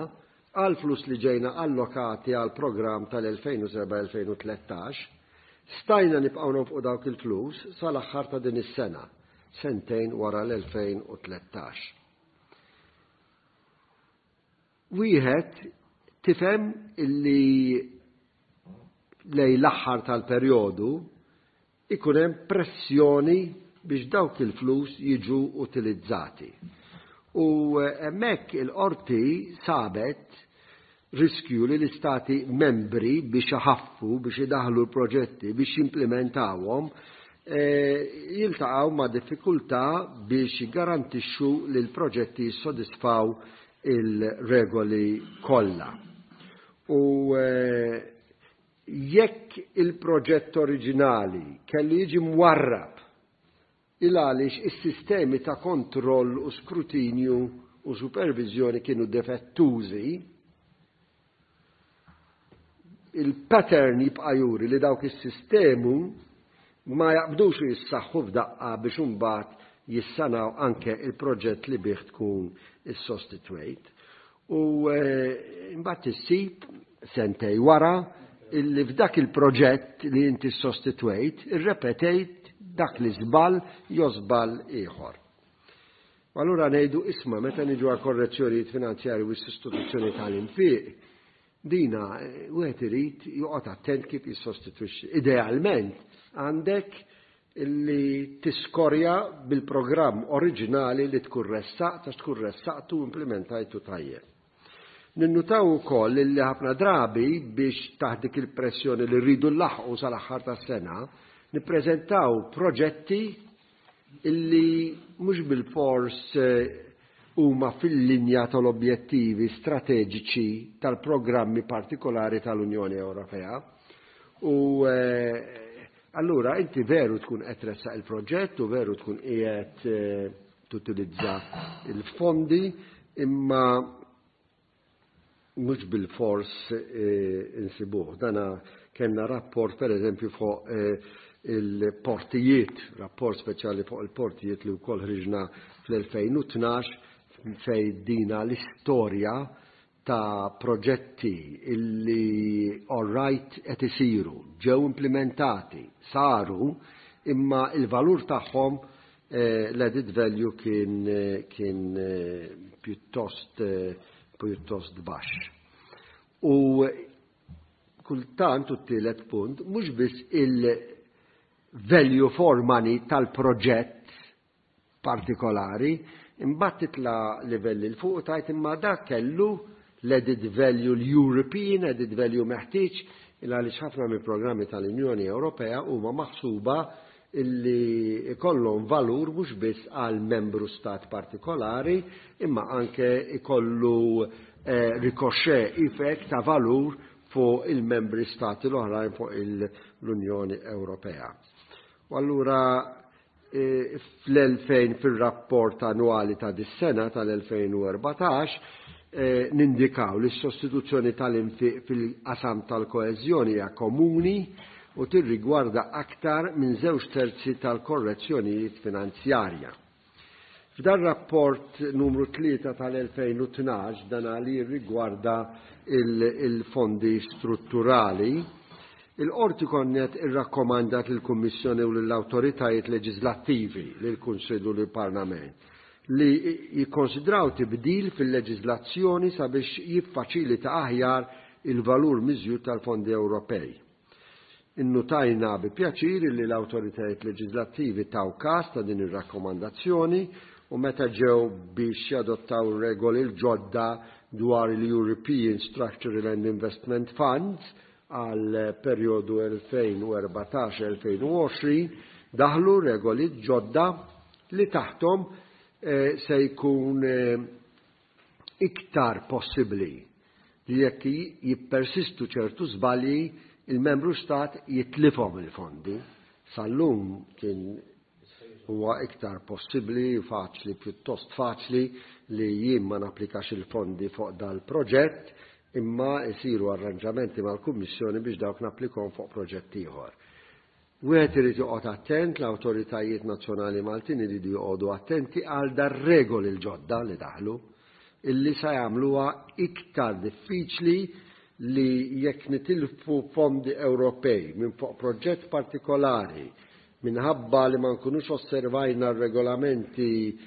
Speaker 2: għal flus li ġejna allokati għal programm tal-2007-2013 stajna nibqgħu nonfqu dawk il-flus sal-aħħar ta' din is-sena, sentejn wara l-2013. Wieħed tifhem illi lejn l-aħħar tal-perjodu ikun hemm pressjoni biex dawk il-flus jiġu utilizzati. U hemmhekk il-qorti sabet riskju li l-istati membri biex iħaffu, biex idaħlu l-proġetti, biex jimplimentawhom, jiltaqgħu ma' diffikultà biex jiggarantixxu li l-proġetti jissodisfaw il-regoli kollha. U jekk il-proġett oriġinali kellu jiġi mwarrab il għaliex is-sistemi ta' kontroll u skrutinju u superviżjoni kienu defettużi, il-pattern jibqa' juri li dawk is-sistemu ma jaqbdux u jissaħħu f'daqqa biex imbagħad jissanaw anke il-proġett li bih tkun issostitwejt. U imbagħad issib sentej wara illi f'dak il-proġett li inti sostitwejt, irrepetejt dak li żball jew żball ieħor. U allura ngħidu isma' meta niġu għal korrezzjonijiet finanzjarji u s-sostituzzjoni tal-infiq, dina wieħed irid joqgħod attent kif jissostitwixxi. Idealment għandek illi tiskorja bil-programm oriġinali li tkun ressaqt għax tkun ressaqtu u implementajtu tajjeb. Ninnutaw ukoll illi ħafna drabi biex taħt dik il-pressjoni li rridu nlaħħqu sal-aħħar tas-sena, nippreżentaw proġetti illi mhux bilfors huma fil-linja tal-objettivi strateġiċi tal-programmi partikolari tal-Unjoni Ewropea. U allura inti veru tkun qed tressaq il-proġett u veru tkun qiegħed tutilizza il-fondi, imma mhux bil-fors insibuh. Dana kellna rapport per eżempju fuq il-portijiet, rapport speċjali fuq il-portijiet li wkoll ħriġna fl-2012 fej dina l-istorja ta' proġetti illi all right qed isiru, ġew implementati, saru, imma il-valur tagħhom, l-added value kien pjuttost baxx. U kultant, u t-tielet punt, mhux biss il-value for money tal-proġett partikolari, imbagħad titla' livelli 'l fuq u tgħid imma dak kellu l-added value, l-European added value meħtieġ, il għaliex ħafna mill-programmi tal-Unjoni Ewropea huma maħsuba illi ikollhom valur mhux biss għal membru stat partikolari, imma anke ikollu ricochet effect ta' valur fuq il-membri stati l-oħrajn fuq l-Unjoni Ewropea. U allura fl-2000 fil-rapport annwali ta' dis-sena tal-2014 nindikaw li s-sostituzzjoni tal-infiq fil-qasam tal-koeżjoni hija komuni u tirrigwarda aktar minn 2/3 tal-korrezzjonijiet finanzjarja. F'dan rapport numru 3 tal-2012, dan li rigwarda il-fondi strutturali, il-qorti konnet irrakkomandat lill-Kummissjoni u lill-awtoritajiet leġislattivi, lill-Kunsill u lill-Parlament, li jikkonsidraw tibdil fil-leġislazzjoni sabiex jiffaċilita aħjar il-valur miżjud tal-fondi Ewropej. Innutajna bi pjaċir li l-awtoritajiet leġislattivi taw każ ta' din ir-rakkomandazzjoni u meta ġew biex jadottaw regoli l-ġodda dwar il-European Structural and Investment Funds għal perjodu 2014-2020, daħlu regoli ġodda li taħtom se jkun iktar possibbli li jekk jippersistu ċertu żbalji il-membru stat jitlifhom il-fondi. Sal-lum kien huwa iktar possibbli, faċli, pjuttost faċli li jien ma napplikax il-fondi fuq dal-proġett, imma jsiru arranġamenti mal-Kummissjoni biex dawk napplikhom fuq proġett ieħor. Wieħed irid joqgħod attent, l-awtoritajiet nazzjonali Maltin iridu joqogħdu attenti għal dar-regoli l-ġodda li daħlu, illi sa jagħmluha iktar diffiċli li jekk nitilfu fondi Ewropej minn fuq proġett partikolari minħabba li ma nkunux osservajna r-regolamenti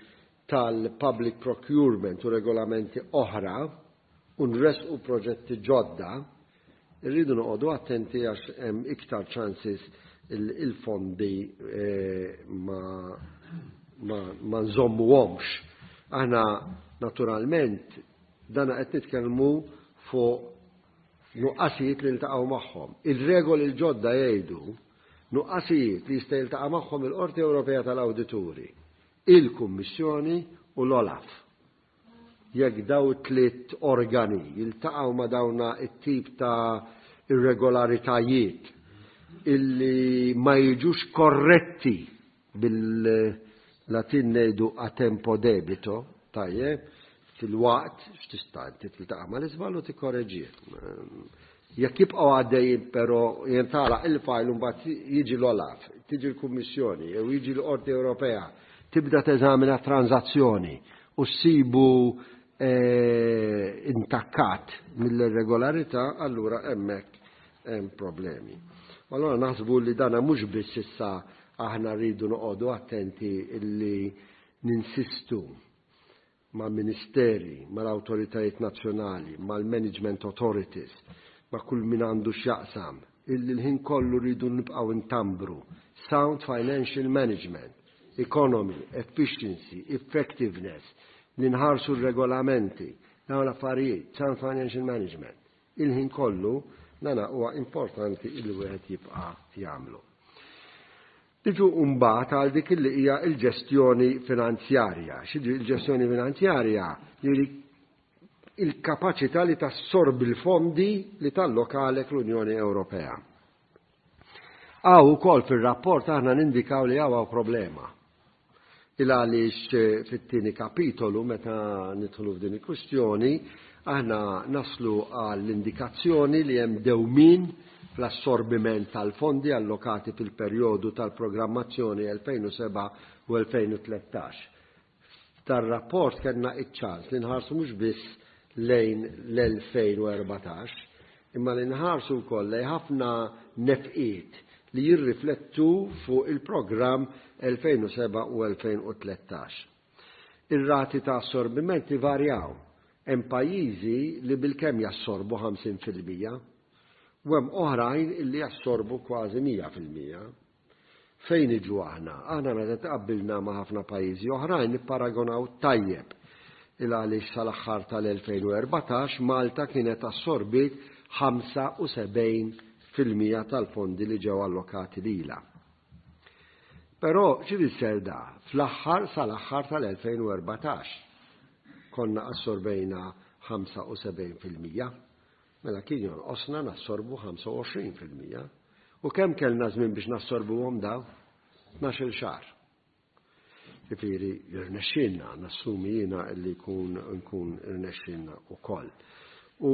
Speaker 2: tal-public procurement u regolamenti oħra u nresqu proġetti ġodda, irridu noqogħdu attenti għax hemm iktar chances il-fondi ma nżommuhomx. Aħna naturalment dana qed nitkellmu fuq nuqqasijiet li ltaqgħu magħhom. Ir-regoli l-ġodda jgħidu nuqqasijiet li jista' jiltaqa' magħhom il-Qorti Ewropea tal-Awdituri, il-Kummissjoni u l-OLAF. Jekk daw tliet organi jiltaqgħu ma' dawna it-tip ta' irregolaritajiet illi ma jiġux korretti, bil-Latin ngħidu a tempo debito, tajjeb, fil-waqt, x'tista' inti tiltaqa' mal-iżball u tikkoreġih. Jekk jibqgħu għaddejjin però jintgħalaq il-fajl u mbagħad jiġi l-OLAF, tiġi l-Kummissjoni jew jiġi l-Qorti Ewropea, tibda teżamina transazzjoni u ssibu intakkat mill-irregolarità, allura hemmhekk hemm problemi. Allura naħsbu li dana mhux biss issa aħna rridu noqogħdu attenti illi ninsistu ma' ministeri, mal-awtoritajiet nazzjonali, mal-management authorities, ma' kull min għandu x'jaqsam, illi l-ħin kollu rridu nibqgħu ntambru sound financial management, economy, efficiency, effectiveness, li nħarsu r-regolamenti, dawn l-affarijiet, sound financial management. Il-ħin kollu dana huwa importanti illi wieħed jibqa' jagħmlu. Niġu mbagħad għal dik li hija l-ġestjoni finanzjarja. X'jiġri l-ġestjoni finanzjarja? Jiġri il-kapaċità li tassorbi l-fondi li tallokalek l-Unjoni Ewropea. Hawn ukoll fir-rapport aħna nindikaw li hawn problema. Il għaliex fit-tieni kapitolu meta nidħlu f'din il-kwistjoni aħna naslu għall-indikazzjoni li hemm dewmien fl-assorbiment tal-fondi allokati fil-perjodu tal-programmazzjoni 2007 u 2013. Tar-rapport kellna iċ-ċans li nħarsu mhux biss lejn l-2014, imma li nħarsu wkoll lejn ħafna nefqiet li jirriflettu fuq il-programm 2007 u 2013. Ir-rati ta' assorbiment ivarjaw. Hemm pajjiżi li bilkemm jassorbu 50% u hemm oħrajn illi jassorbu kważi 100%. Fejn niġu aħna? Aħna meta tqabbilna ma' ħafna pajjiżi oħrajn nipparagonaw tajjeb il għaliex sal-aħħar tal-2014 Malta kienet assorbit 75% tal-fondi li ġew allokati lilha. Però x'ifisser da? Fl-aħħar sal-aħħar tal-2014 konna assorbejna 75%. Mela kien jonqosna nassorbu 25%. U kemm kellna żmien biex nassorbuhom daw? 12-il xahar. Ġifieri jirnexxielna, nassumi jiena li jkun nkun irnexxielna wkoll. U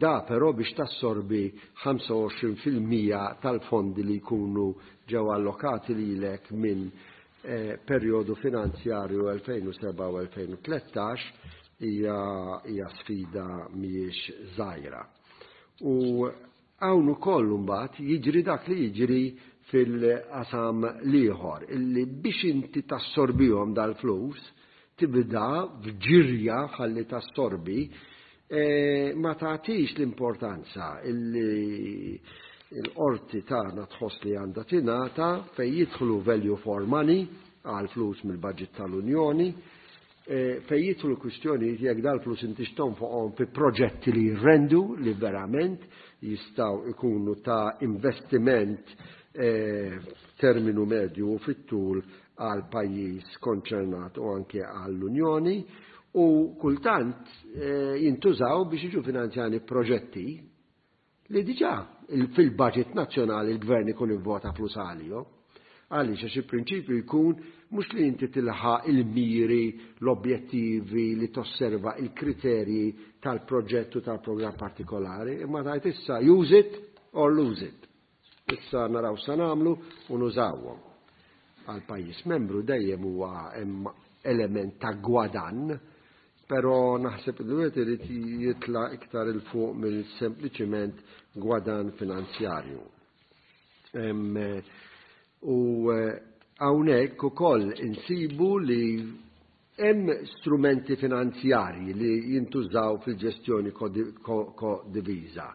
Speaker 2: da però biex tassorbi 25% tal-fondi li jkunu ġew allokati lilek minn perjodu finanzjarju 2007 u 2013 hija sfida mhijiex żgħira. U hawn ukoll imbagħad jiġri dak li jiġri fil-qasam l-ieħor, illi biex inti tassorbihom dal-flus, tibda f'ġirja ħalli tassorbi, ma tagħtix l-importanza illi l-qorti tagħna tħoss li għandha tingħata fejn jidħlu value for money għal flus mill-budget tal-Unjoni, fejn jidħlu kwistjonijiet jekk dal-flus intix tonfoqhom fi proġetti li jirrendu li verament jistgħu ikunu ta' investiment f'terminu medju u fit-tul għal pajjiż konċernat u anke għall-Unjoni, u kultant jintużaw biex jiġu finanzjani proġetti li diġà fil-budget nazzjonali l-gvern ikun ivvota flus għalihom. Għaliex? Għax il-prinċipju jkun mhux li inti tilħaq il-miri, l-objettivi li tosserva il-kriterji tal-proġett u tal-programm partikolari, imma tgħid issa use it or lose it. Issa naraw sa nagħmlu u nużawhom. Għal pajjiż membru dejjem huwa hemm element ta' gwadann, però naħseb li wieħed irid jitla' iktar il fuq mill sempliċiment gwadann finanzjarju. U hawnhekk ukoll insibu li hemm strumenti finanzjarji li jintużaw fil-ġestjoni kodiviża.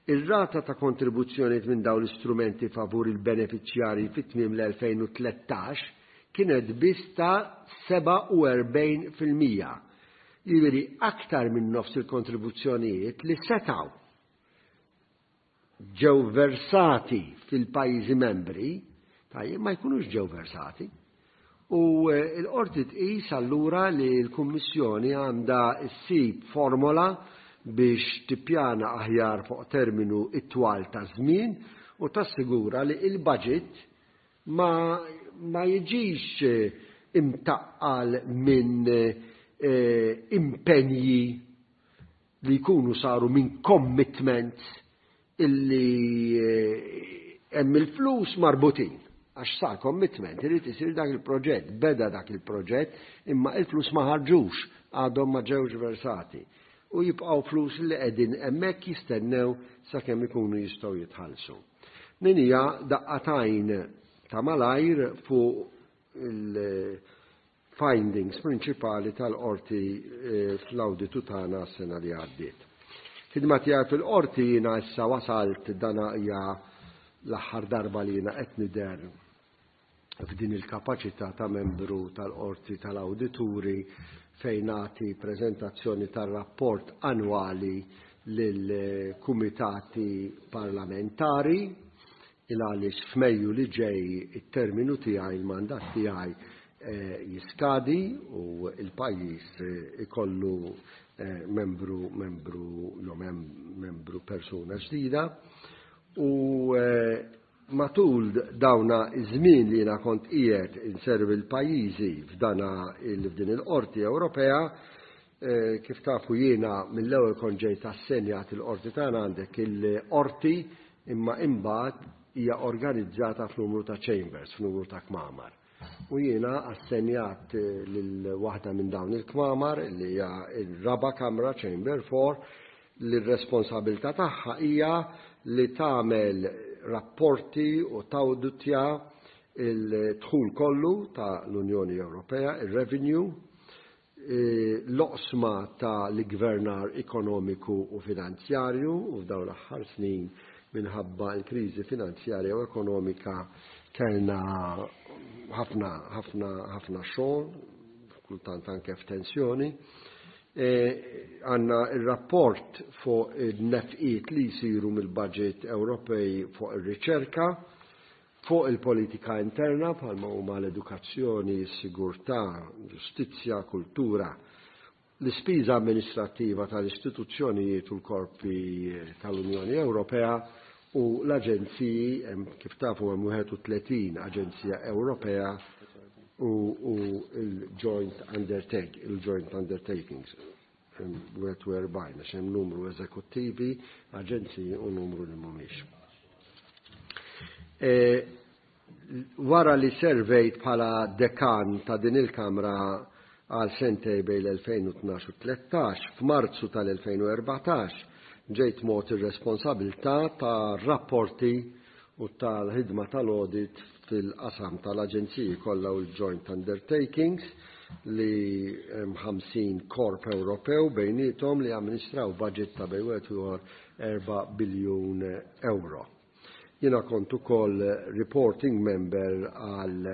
Speaker 2: Ir-rata ta' kontribuzzjoni minn dawn l-istrumenti favur il-beneficjarji fit-tmiem l-2013 kienet biss ta' 47%. Jiġifieri aktar minn nofs il-kontribuzzjonijiet li setgħu ġew versati fil-pajjiżi membri, tajjeb, ma jkunux ġew versati. U l-Qorti tqis allura li l-Kummissjoni għandha ssib formola biex tippjana aħjar fuq terminu itwal ta' żmien u tassigura li l-budget ma ma jiġix imtaqqal minn impenji li jkunu saru minn commitments illi hemm il-flus marbutin għax sar commitment, irid isir dak il-proġett, beda dak il-proġett, imma il-flus ma ħarġux, għadhom ma ġewx versati. U jibqgħu flus li qegħdin hemmhekk jistennew sakemm ikunu jistgħu jitħallsu. Din hija daqqa t'għajn ta' malajr fuq il- findings prinċipali tal-Qorti fl-awditu tagħna s-sena li għaddiet. Ħidma tiegħi fil-Qorti jiena issa wasalt dana hija l-aħħar darba li jiena qed nidher f'din il-kapaċità ta' membru tal-Qorti tal-Awdituri fejn nagħti preżentazzjoni tar-rapport annwali lill-kumitati parlamentari il għaliex f'Mejju li ġej it-terminu tiegħi, il-mandat tiegħi jiskadi u l-pajjiż ikollu membru membru jew membru persuna ġdida u matul dawna iż-żmien li jiena kont qiegħed inservi l-pajjiżi f'dana f'din il-Qorti Ewropea, kif tafu jiena mill-ewwel kont ġejt assenjat il-qorti tagħna għandek il-qorti imma imbagħad hija organizzata f'numru ta' chambers, f'numru ta' kmamar. U jiena assenjat lil waħda minn dawn il-kmamar li hija r-raba' kamra Chamber 4 li r-responsabilità tagħha hija li tagħmel rapporti u tawditja il-dħul kollu ta' l-Unjoni Ewropea, il-revenue, l-oqsma ta' l-iggvernar ekonomiku u finanzjarju u f'dawn l-aħħar snin minħabba l-kriżi finanzjarja u ekonomika kellna ħafna ħafna ħafna xogħol, kultant anke f'tensjoni. Għandna il-rapport fuq il-nefqiet li jsiru mill-budget Ewropej fuq ir-riċerka, fuq il-politika interna bħalma huma l-edukazzjoni, s-sigurtà, ġustizzja, kultura, l-ispiża amministrattiva tal-istituzzjonijiet u l-korpi tal-Unjoni Ewropea u l-aġenziji, kif tafu hemm 31 aġenzija Ewropea u il-joint undertake, il-joint undertakings, 41, għax hemm numru eżekuttivi, aġenziji u numru li mhumiex. Wara li servejt bħala dekan ta' din il-Kamra għal sentej bejn l-2012 u 13, f'Marzu tal-2014 ġejt mogħti ir-responsabilità ta' rapporti u tal-ħidma tal-audit fil-qasam tal-aġenziji kollha u l-joint undertakings li hemm 50 korp Ewropew bejniethom li amministraw budget ta' bejn wieħed u ieħor 4 biljun euro. Jiena kont ukoll reporting member għal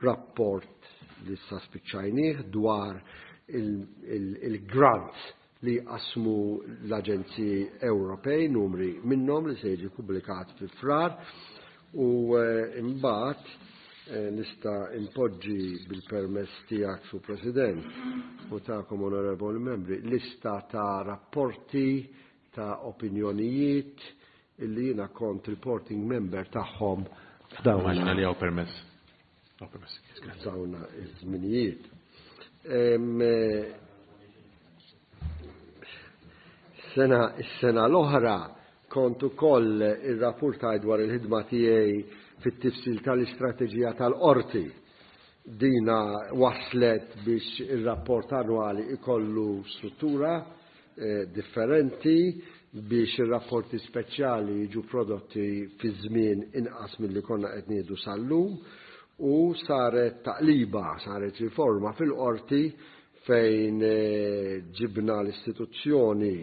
Speaker 2: rapport li issa spiċċajnieh dwar il-grants li qasmu l-Aġenziji Ewropej, numri minnhom li se jiġi pubblikat fi Frar u imbagħad nista' impoġġi bil-permess tiegħek Sur President u tagħkom onorevoli membri lista ta' rapporti ta' opinjonijiet illi jiena kont reporting member tagħhom f'dawn.
Speaker 1: Immaġina li hawn permess. Hawn permess.
Speaker 2: F'dawn iż-żminijiet. Sena is-sena l-oħra kont ukoll irrapportaj dwar il-ħidma tiegħi fit-tifsil tal-istrateġija tal-qorti. Dina waslet biex ir-rapport annwali ikollu struttura differenti biex ir-rapporti speċjali jiġu prodotti fi żmien inqas milli konna qed nieħdu sal-lum u saret taqliba, saret riforma fil-qorti fejn ġibna l-istituzzjoni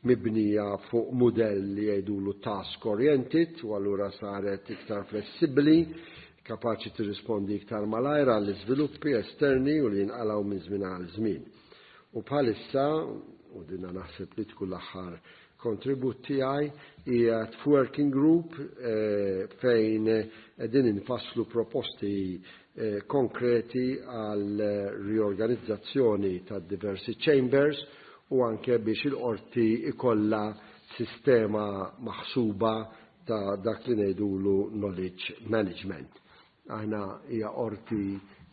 Speaker 2: mibnija fuq mudell li jgħidulu task oriented u allura saret iktar flessibbli. kapaċi tirrispondi iktar malajr għall-iżviluppi esterni u li jinqalgħu minn żmien għal żmien. U bħalissa, u dinna naħseb li tkun l-aħħar kontribut tiegħi, qiegħed f'working group fejn qegħdin infasslu proposti konkreti għal riorganizzazzjoni ta' diversi chambers u anke biex il-qorti ikollha sistema maħsuba ta' dak li ngħidulu knowledge management. Aħna hija qorti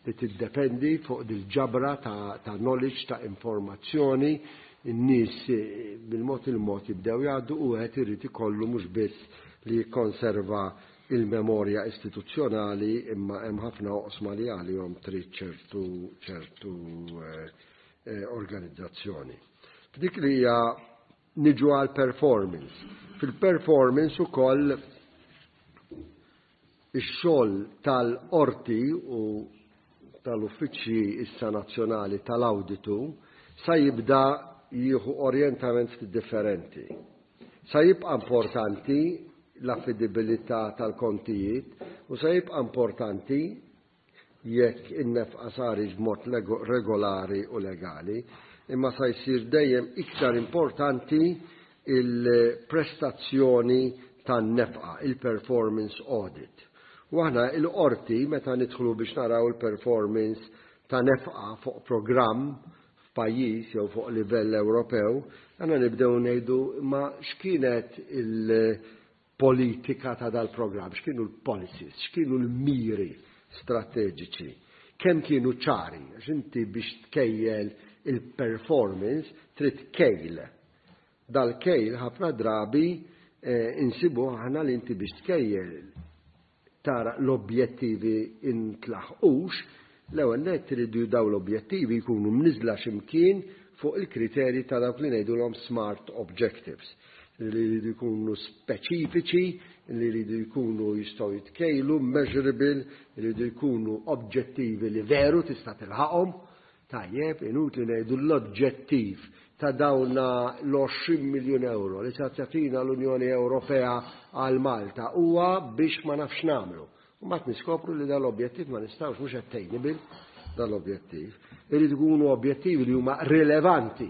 Speaker 2: li tiddependi fuq dil-ġabra ta' knowledge, ta' informazzjoni, in-nies bil-mod il-mod jibdew jgħaddu u wieħed irid ikollu mhux biss li jikkonserva il-memorja istituzzjonali, imma hemm ħafna oqsma li għalihom trid ċertu organizzazzjoni. F'dik li hija niġu għal performance. Fil-performance ukoll ix-xogħol tal-qorti u tal-uffiċċji issa nazzjonali tal-awditu sa jibda jieħu orjentament ftit differenti. Sa jibqa' importanti l-affidibilità tal-kontijiet u sa jibqa' importanti jekk in-nefqa sarix b'mod regolari u legali, imma sa jsir dejjem iktar importanti il-prestazzjoni tan-nefqa, il-performance audit. U aħna il-qorti meta nidħlu biex naraw il-performance ta' nefqa fuq programm f'pajjiż jew fuq livell Ewropew, għandna nibdew ngħidu ma x'kienet il-politika ta' dal-programm, x'kienu l-policies, x'kienu l-miri strateġiċi, kemm kienu ċari, għax inti biex tkejjel il-performance trid kejl. Dal-kejl ħafna drabi insibu aħna li inti biex tkejjel tara l-objettivi intlaħqux, l-ewwel nett iridu daw l-objettivi jkunu mniżla x'imkien fuq il-kriterji ta' dawk li ngħidulhom smart objectives, li jridu jkunu speċifiċi, li jridu jkunu jistgħu jitkejlu, measurable, li jridu jkunu objettivi li veru tista' tilħaqhom. Tajjeb, inutli ngħidu l-oġġettiv ta' dawna l-20 miljun euro li sa tagħtina l-Unjoni Ewropea għal Malta huwa biex ma nafx nagħmlu. U mbagħad niskopru li dal-objettiv ma nistgħux, mhux attainable dal-objettiv. Irid ikunu objettivi li huma rilevanti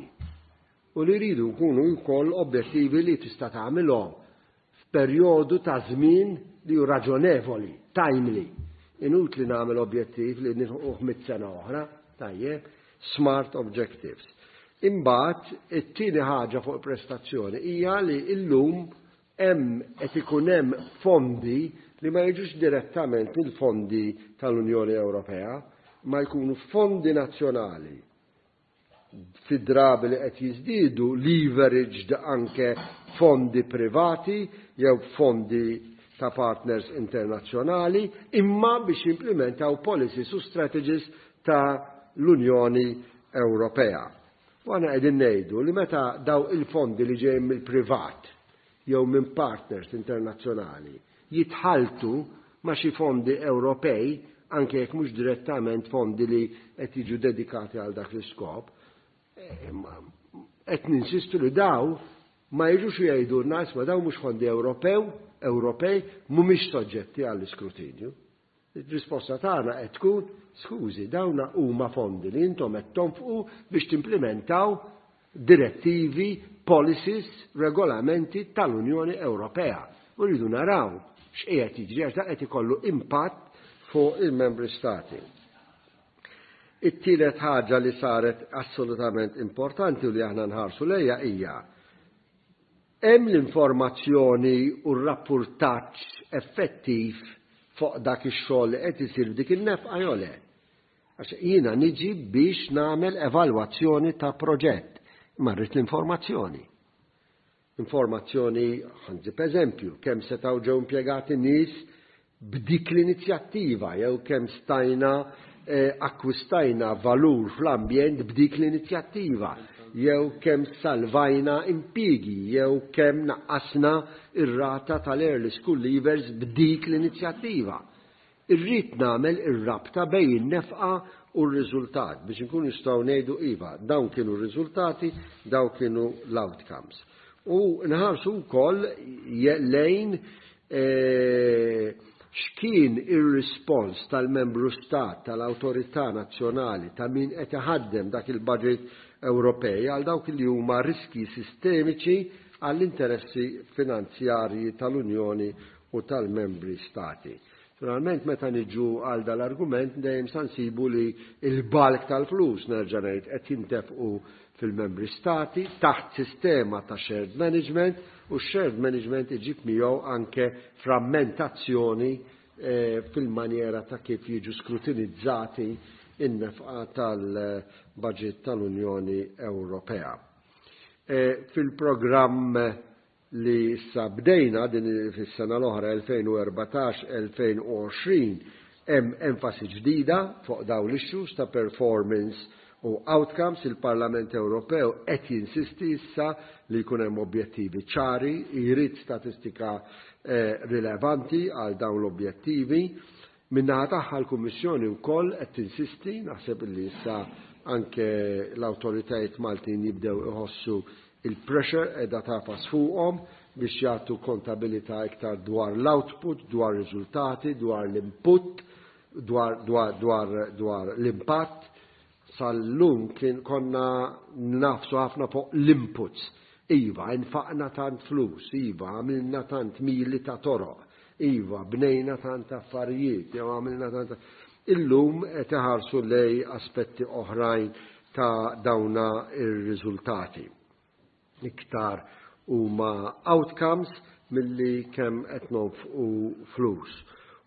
Speaker 2: u li jridu jkunu wkoll objettivi li tista' tagħmilhom f'perjodu ta' żmien li hu raġonevoli, timely. Inutli nagħmel objettiv li nilħuq 100 sena oħra, tajjeb, smart objectives. Imbagħad it-tieni ħaġa fuq prestazzjoni hija li llum hemm qed ikun hemm fondi li ma jiġux direttament mill-fondi tal-Unjoni Ewropea, ma jkunu fondi nazzjonali, fi drabi li qed jiżdiedu leveraged anke fondi privati jew fondi ta' partners internazzjonali, imma biex jimplementaw policies u strategies ta' l-Unjoni Ewropea. U aħna qegħdin ngħidu li meta daw il-fondi li ġejjin mill-privat jew minn partners internazzjonali jitħaltu ma' xi fondi Ewropej, anke jekk mhux direttament fondi li qed jiġu dedikati għal dak l-iskop, qed ninsistu li daw ma jiġux jgħidu ma daw mhux fondi Ewropej, mhumiex soġġetti għall-iskrutinju. Il-risposta tagħna qed tkun, skużi, dawna huma fondi li intom qed tonfqu biex timplementaw direttivi, policies, regolamenti tal-Unjoni Ewropea. U rridu naraw x'qiegħed jiġri, għax dak qed ikollu impatt fuq il-membri stati. It-tielet ħaġa li saret assolutament importanti u li aħna nħarsu lejha hija hemm l-informazzjoni u r-rapportaġġ effettiv fuq dak ix-xogħol li qed isir f'dik in-nefqa jew le. Għax jiena niġi biex nagħmel evalwazzjoni ta' proġett, imma rrid l-informazzjoni. Informazzjoni, ħa nġib eżempju, kemm setgħu ġew impjegati nies b'dik l-inizjattiva jew kemm stajna akkwistajna valur fl-ambjent b'dik l-inizjattiva, jew kemm salvajna impjiegi, jew kemm naqqasna ir-rata tal-early school leavers b'dik l-inizjattiva. Irrid nagħmel ir-rabta bejn in-nefqa u r-riżultat biex inkunu nistgħu ngħidu iva, dawn kienu r-riżultati, dawn kienu l-outcomes. U nħarsu wkoll lejn X'kien ir-rispons tal-membru stat, tal-awtorità nazzjonali, ta' min qed iħaddem dak il-budget Ewropej għal dawk li huma riskji sistemiċi għall-interessi finanzjarji tal-Unjoni u tal-membri stati? Naturalment, meta niġu għal dal-argument, dejjem sa nsibu li il-bulk tal-flus, nerġa' ngħid, qed jintefqu fil-membri stati taħt sistema ta' shared management, u shared management iġib miegħu anke frammentazzjoni fil-manjera ta' kif jiġu skrutinizzati in-nefqa tal-budget tal-Unjoni Ewropea. Fil-programm li issa bdejna din fis-sena l-oħra 2014-2020 hemm enfasi ġdida fuq dawn l-issues ta' performance u outcomes. Il-Parlament Ewropew qed jinsisti issa li jkun hemm objettivi ċari, jrid statistika rilevanti għal dawn l-objettivi. Min-naħa tagħha l-Kummissjoni wkoll qed tinsisti, naħseb li issa anke l-awtoritajiet Maltin jibdew iħossu il-pressure qiegħda tagħfas fuqhom biex jagħtu kontabilità iktar dwar l-output, dwar riżultati, dwar l-input, dwar l-impatt. Sal-lum kien konna nagħfsu ħafna fuq l-inputs. Iva, infaqna tant flus, iva, għamilna tant mili ta' toroq, iva, bnejna tant affarijiet, jew għamilna tant. Illum qed iħarsu lej aspetti oħrajn ta' dawna ir-riżultati. Iktar huma outcomes milli kemm qed nonfqu flus.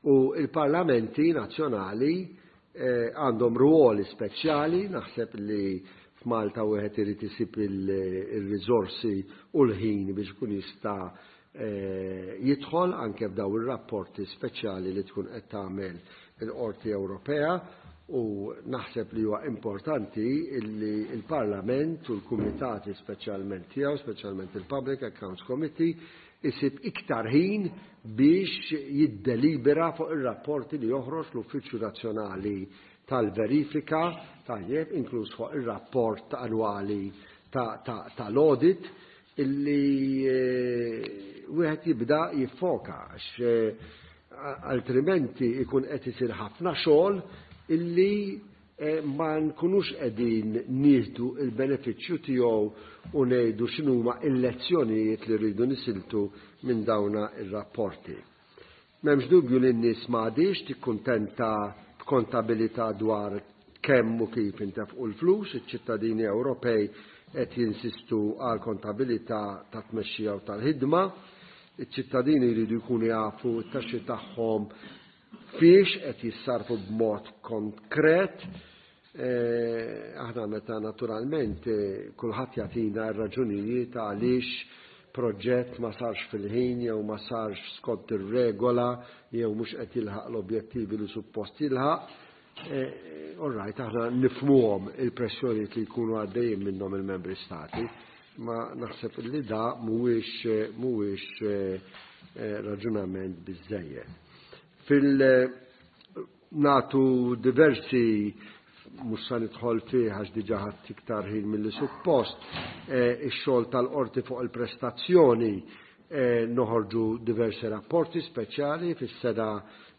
Speaker 2: U il-parlamenti nazzjonali għandhom ruoli speċjali, naħseb li f'Malta wieħed irid isib il-riżorsi u l-ħin biex ikun jista' jidħol anke f'daw ir-rapporti speċjali li tkun qed tagħmel il-Qorti Ewropea, u naħseb li huwa importanti li l-Parlament u l-kumitati speċjalment tiegħu, speċjalment il-Public Accounts Committee, isib iktar ħin biex jiddelibera fuq ir-rapporti li joħroġ l-Uffiċċju Nazzjonali tal-Verifika, tajjeb, inkluż fuq ir-rapport annwali tal-audit, illi wieħed jibda jiffoka, għax altrimenti ikun qed isir ħafna xogħol illi ma nkunux qegħdin nieħdu il-benefiċċju tiegħu u ngħidu x'inhuma l-lezzjonijiet li rridu nisiltu minn dawna ir-rapporti. M'hemmx dubju li n-nies m'għadix tikkuntenta b'kontabilità dwar kemm u kif intefqu l-flus. Iċ-ċittadini Ewropej qed jinsistu għal kontabilità ta' tmexxija u tal-ħidma. Iċ-ċittadini jridu jkunu jafu t-taxxi tagħhom fiex qed jissarfu b'mod konkret. Aħna meta naturalment kulħadd jagħtina r-raġunijiet għaliex proġett ma sarx fil-ħin jew ma sarx skont ir-regola jew mhux qed jilħaq l-objettivi li suppost jilħaq. All right, aħna nifhmuhom il-pressjonijiet li jkunu għaddejjin minnhom il-membri stati, ma naħseb li da mhuwiex raġunament biżejjed. Fil-natu diversi, mhux sa nidħol fih għax diġà ħadd iktar ħin milli suppost, ix-xogħol tal-qorti fuq il-prestazzjoni, noħorġu diversi rapporti speċjali. Fis-sena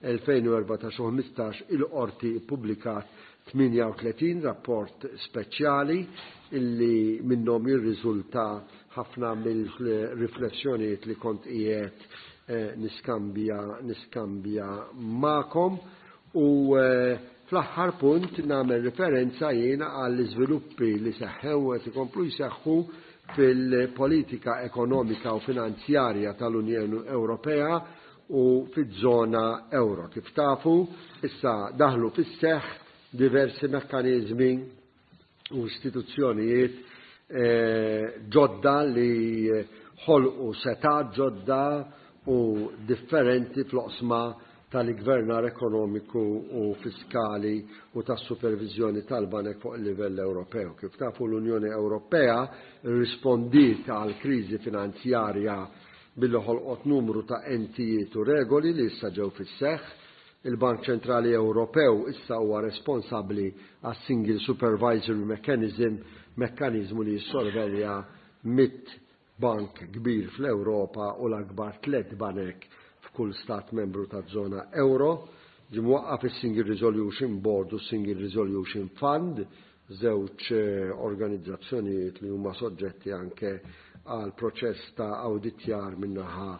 Speaker 2: 2014 u 15 il-qorti ppubblikat 38 rapport speċjali illi minnhom jirriżulta ħafna mill-riflessjonijiet li kont qiegħed niskambja magħkom. U fl-aħħar punt nagħmel referenza jiena għall-iżviluppi li seħħew u qed ikomplu jseħħu fil-politika ekonomika u finanzjarja tal-Unjoni Ewropea u fiż-żona euro. Kif tafu, issa daħlu fis-seħħ diversi mekkaniżmi u istituzzjonijiet ġodda li ħolqu setgħat ġodda u differenti fl-oqsma tal-gvernar ekonomiku u fiskali u tas-supervizjoni tal-banek fuq il-livell Ewropew. Kif tafu, l-Unjoni Ewropea rispondiet għal kriżi finanzjarja billi ħolqot numru ta' entijiet u regoli li issa ġew fis-seħħ. Il-Bank Ċentrali Ewropew issa huwa responsabbli għas Single Supervisory Mechanism, mekkanizmu li jissorvelja 100 bank kbir fl-Ewropa u l-akbar tliet banek. f'kull stat membru taż-żona ewro. Ġie mwaqqaf is-Single Resolution Board u s-Single Resolution Fund, żewġ organizzazzjonijiet li huma soġġetti anke għal proċess ta' awditjar min-naħa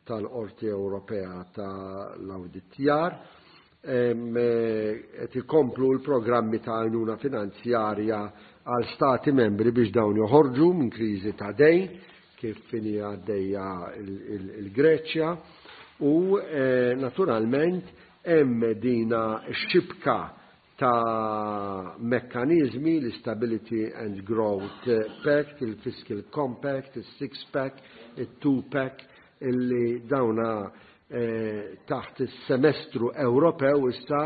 Speaker 2: tal-Qorti Ewropea tal-Awditjar. Qed ikomplu l-programmi ta' għajnuna finanzjarja għal stati membri biex dawn joħorġu minn kriżi ta' dejn kif inhi għaddejja il-Greċja u naturalment hemm dina x-xibka ta' mekkaniżmi, l-Stability and Growth Pact, il-Fiscal Compact, il-Six Pack, il-Two Pack, illi dawna taħt is-semestru Ewropew issa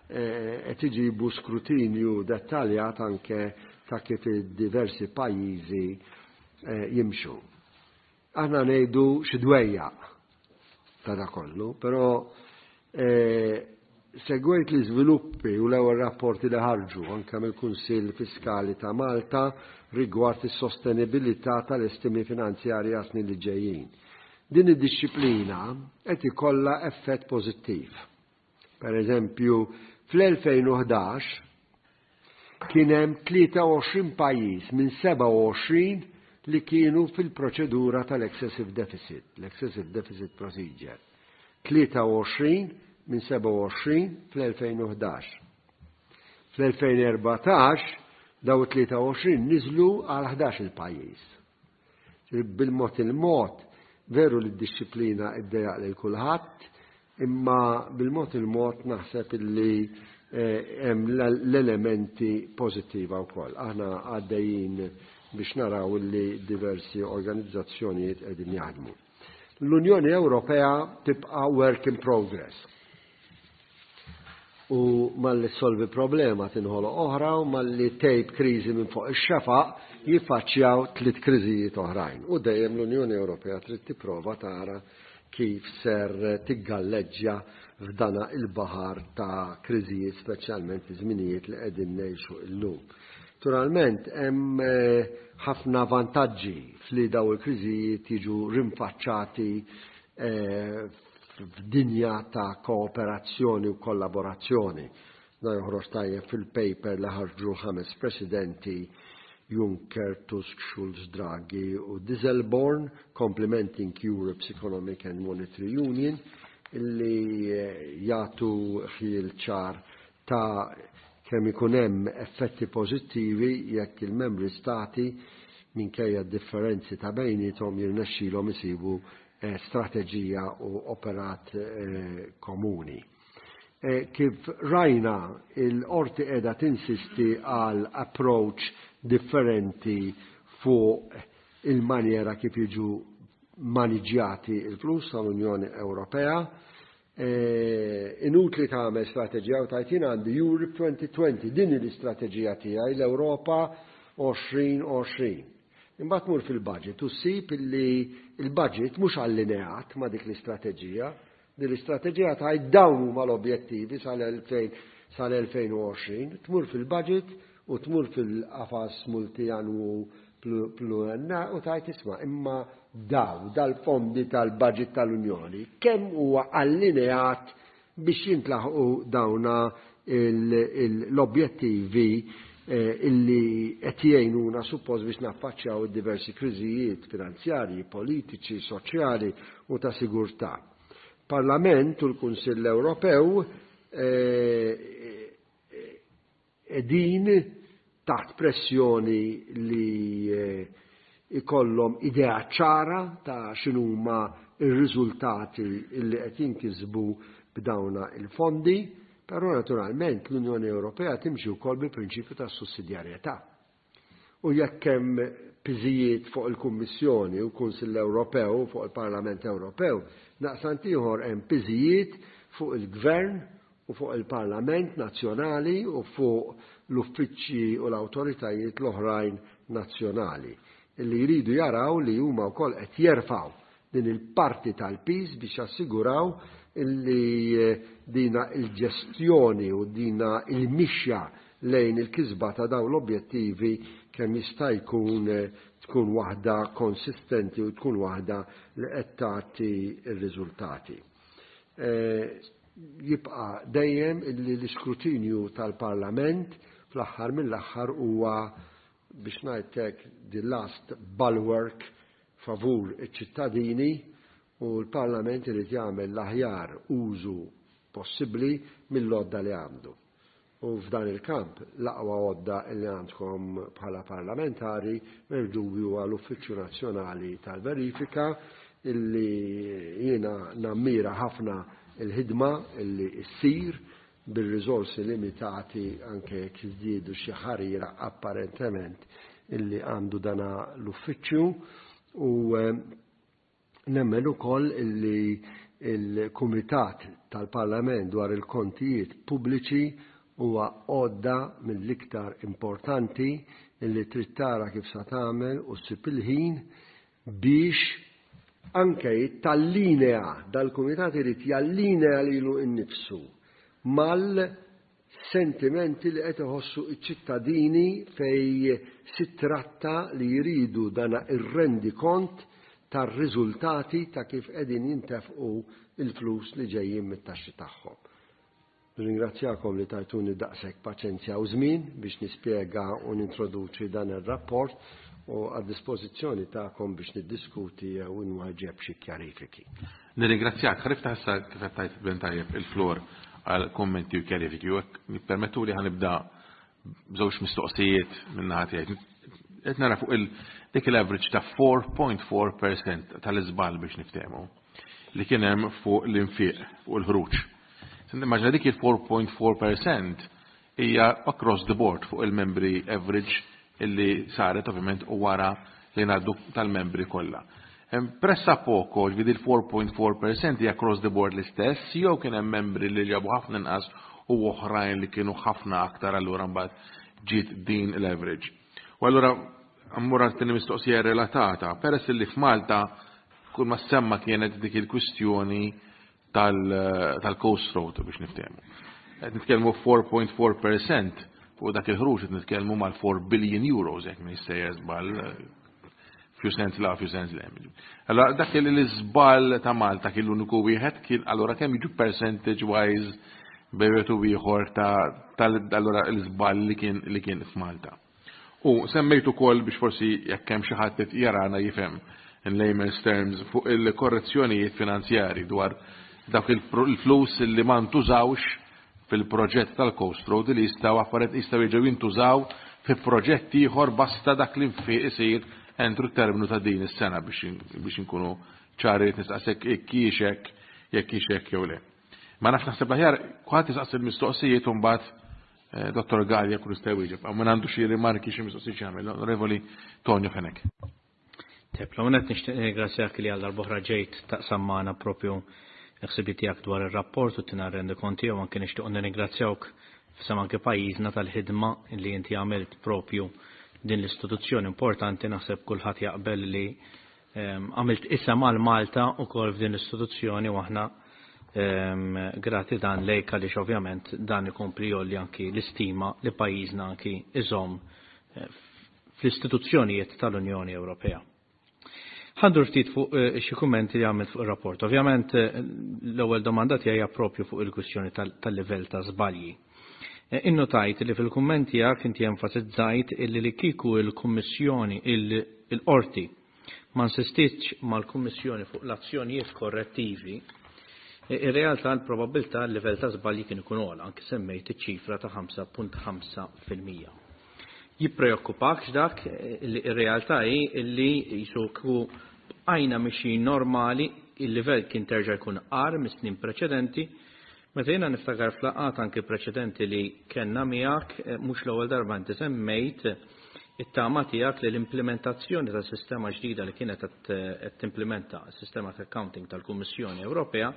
Speaker 2: qed iġibu skrutinju dettaljat anke ta' kif id-diversi pajjiżi jimxu. Aħna ngħidu xi dwejjaq ta' da kollu, però segwejt l-iżviluppi u l-ewwel rapporti li ħarġu anke mill-Kunsill Fiskali ta' Malta rigward is-sostenibilità tal-estimi finanzjarji għas-snin li ġejjin. Din id-dixxiplina qed ikollha effett pożittiv. Per eżempju, fl-2011 kien hemm 23 pajjiż minn 27 li kienu fil-proċedura tal-excessive deficit, l-excessive deficit procedure. 23 minn 27 fl-2011. Fl-2014 daw 23 niżlu għal 11 il-pajjiż. Bil-mod il-mod, veru li d-dixxiplina iddejjaq lil kulħadd, imma bil-mod il-mod naħseb illi hemm l-elementi pożittiva wkoll. Aħna għaddejjin biex naraw illi diversi organizzazzjonijiet qegħdin jaħdmu. L-Unjoni Ewropea tibqa' work in progress. U malli solvi problema tinħoloq oħra u malli tgħib kriżi minn fuq ix-xefaq jiffaċċjaw tliet kriżijiet oħrajn. U dejjem l-Unjoni Ewropea trid tipprova tara kif ser tiggalleġġja f'dana il-baħar ta' kriżijiet, speċjalment fi żminijiet li qegħdin ngħixu illum. Naturalment hemm ħafna vantaġġi fli daw il-kriżijiet jiġu rinfaċċati f'dinja ta' kooperazzjoni u kollaborazzjoni. Da joħroġ tajjeb fil-paper li ħarġu l-ħames presidenti Juncker, Tusk, Schulz, Draghi u Dijsselbloem, Complementing Europe's Economic and Monetary Union, illi jagħtu ħjiel ċar ta' kemm ikun hemm effetti pożittivi jekk il-membri stati minkejja differenzi ta' bejniethom jirnexxilhom isibu strateġija u operat komuni. Kif rajna, il-qorti qiegħda tinsisti għal approach differenti fuq il-maniera kif jiġu maniġjati il-flus tal-Unjoni Ewropea. Inutli tagħmel strateġija u tgħid jien għandi Europe 2020, din l-istrateġija tiegħi, l-Ewropa 2020. Imbagħad tmur fil-budget u ssib illi il-budget mhux allineat ma' dik l-istrateġija. Din l-istrateġija tgħid dawn huma l-objettivi sal-2020, tmur fil-budget u tmur fil-qafas multianwu pluriennali u tgħid isma' imma daw dal-fondi tal-budget tal-Unjoni kemm huwa allineat biex jintlaħqu dawna l-objettivi illi qed jgħinuna suppost biex naffaċċjaw id-diversi kriżijiet finanzjarji, politiċi, soċjali u ta' sigurtà. Parlament u l-Kunsill Ewropew qegħdin taħt pressjoni li ikollhom idea ċara ta' x'inhuma r-riżultati li qed jinkisbu b'dawna il-fondi, però naturalment l-Unjoni Ewropea timxi wkoll bil-prinċipju tas sussidjarjetà. U jekk hemm piżijiet fuq il-Kummissjoni u l-Kunsill Ewropew fuq il-Parlament Ewropew, naqsant ieħor hemm piżijiet fuq il-Gvern u fuq il-Parlament Nazzjonali u fuq l-uffiċċji u l-awtoritajiet l-oħrajn nazzjonali illi jridu jaraw li huma wkoll qed jerfgħu din il-parti tal-piż biex jassiguraw illi dina il-ġestjoni u dina il-mixja lejn il-kisba ta' dawn l-objettivi kemm jista' jkun tkun waħda konsistenti u tkun waħda li qed tagħti r-riżultati. Jibqa' dejjem illi l-iskrutinju tal-Parlament fl-aħħar mill-aħħar huwa, biex ngħid hekk, the last bulwark favur iċ-ċittadini u l-Parlament irid jagħmel l-aħjar użu possibbli mill-għodda li għandu. U f'dan il-kamp l-aqwa għodda li għandkom bħala parlamentari m'hemmx dubju huwa l-Uffiċċju Nazzjonali tal-Verifika illi jiena nammira ħafna il-ħidma illi ssir bir-riżorsi limitati anke jekk jiżdiedu xi ħarira apparentement illi għandu dana l-uffiċċju u nemmen ukoll illi il-Kumitat tal-Parlament dwar il-Kontijiet Pubbliċi huwa għodda mill-iktar importanti illi trid tara kif sa tagħmel u ssib il-ħin biex anke tallinea, dal-kumitat irid jallinea lilu nnifsu mal-sentimenti li qed iħossu ċ-ċittadini fej si tratta li jridu dana ir-rendikont tar-riżultati ta' kif qegħdin jintefqu il-flus li ġejjin mit-taxxi tagħhom. Nirringrazzjakom li tajtuni daqshekk paċenzja u żmien biex nispjega u nintroduċi dan ir-rapport u għad-dispożizzjoni tagħkom biex niddiskuti jew inwaġġeb xi kjarifiki.
Speaker 1: Nirringrazzjak. Ħa niftaħ issa, kif qed tgħid Ben tajjeb, il-floor għal kummenti u kjarifiki u hekk nippermettu li ħa nibda b'żewġ mistoqsijiet min-naħa tiegħi. Qed nara fuq il dik il-average ta' 4.4% tal-iżball, biex niftehmu, li kien hemm fuq l-infiq, fuq il-ħruġ. Nimmaġina dik il-4.4% hija across the board fuq il-membri, average illi saret ovvjament u wara li ngħaddu tal-membri kollha. Pressappoco, ġifieri il-4.4% hija across the board l-istess, jew kien hemm membri li ġabu ħafna inqas u oħrajn li kienu ħafna aktar, allura mbagħad ġiet din l-average? U allura mmur għal mistoqsija relatata, peress li f'Malta kull ma semma kienet dik il-kwistjoni tal-Coast Road, biex niftehmu. Qed nitkellmu 4.4% fuq dak il-ħruġ, qed nitkellmu mal-4 billion euros, jekk ma jissejjer żball, few cents la, few cents le. Allora dak li l-iżball ta' Malta kien l-uniku wieħed kien, allora kemm jiġu percentage wise bejn u ieħor ta' allura l-iżball li kien f'Malta? U semmejt ukoll, biex forsi jekk hemm xi ħadd jarana jifhem in layman's terms, fuq il-korrezzjonijiet finanzjari dwar dak il-flus li ma ntużawx fil-proġett tal-Coast Road li jistgħu affarijiet jistgħu jiġu jintużaw fi proġett ieħor basta dak li nfiq isir entru terminu ta' din is-sena, biex inkunu ċari nistaqsek jekk hix hekk jew le. Ma nafx, naħseb aħjar kulħadd jistaqsi l-mistoqsijiet u mbagħad Dottor Galea kull jista' jwieġeb. Min għandu xi rimarki, xi mistoqsijiet jagħmel. Onorevoli Tonio Fenech.
Speaker 3: Tep, l-għonet nixtieq nirringrazzjak li għal darb'oħra ġejt taqsam magħna propju l-ħsibijiet tiegħek dwar ir-rapport u tina rendikont tiegħu. Anke nixtieq nirringrazzjawk f'isem anke pajjiżna tal-ħidma li inti għamilt propju din l-istituzzjoni importanti. Naħseb kulħadd jaqbel li għamilt isem għal Malta ukoll f'din l-istituzzjoni u aħna grati dan lejk, għaliex ovvjament dan ikompli jgħolli anki l-istima li pajjiżna anki iżomm fl-istituzzjonijiet tal-Unjoni Ewropea. Ħa ndur ftit fuq xi kummenti li għamilt fuq ir-rapport. Ovvjament l-ewwel domanda tiegħi hija propju fuq il-kwistjoni tal-livell ta' żbalji. Innotajt li fil-kummenti tiegħek inti enfasizzajt illi li kieku il-Kummissjoni, il-Qorti ma insistitx mal-Kummissjoni fuq l-azzjonijiet korrettivi, ir-realtà l-probabilità l-livell ta' żbalji kien ikun ogħla, anke semmejt iċ-ċifra ta' 5.5%. Jippreokkupak dak li ir-realtà hi li jisuku bqajna mixi normali, il-livell kien terġa' jkun agħar mis-snin preċedenti, meta jiena niftakar f'laqgħat anke preċedenti li kellna miegħek, mhux l-ewwel darba inti semmejt it-tama tiegħek li l-implementazzjoni ta' sistema ġdida li kienet qed timplementa s-sistema ta' accounting tal-Kummissjoni Ewropea,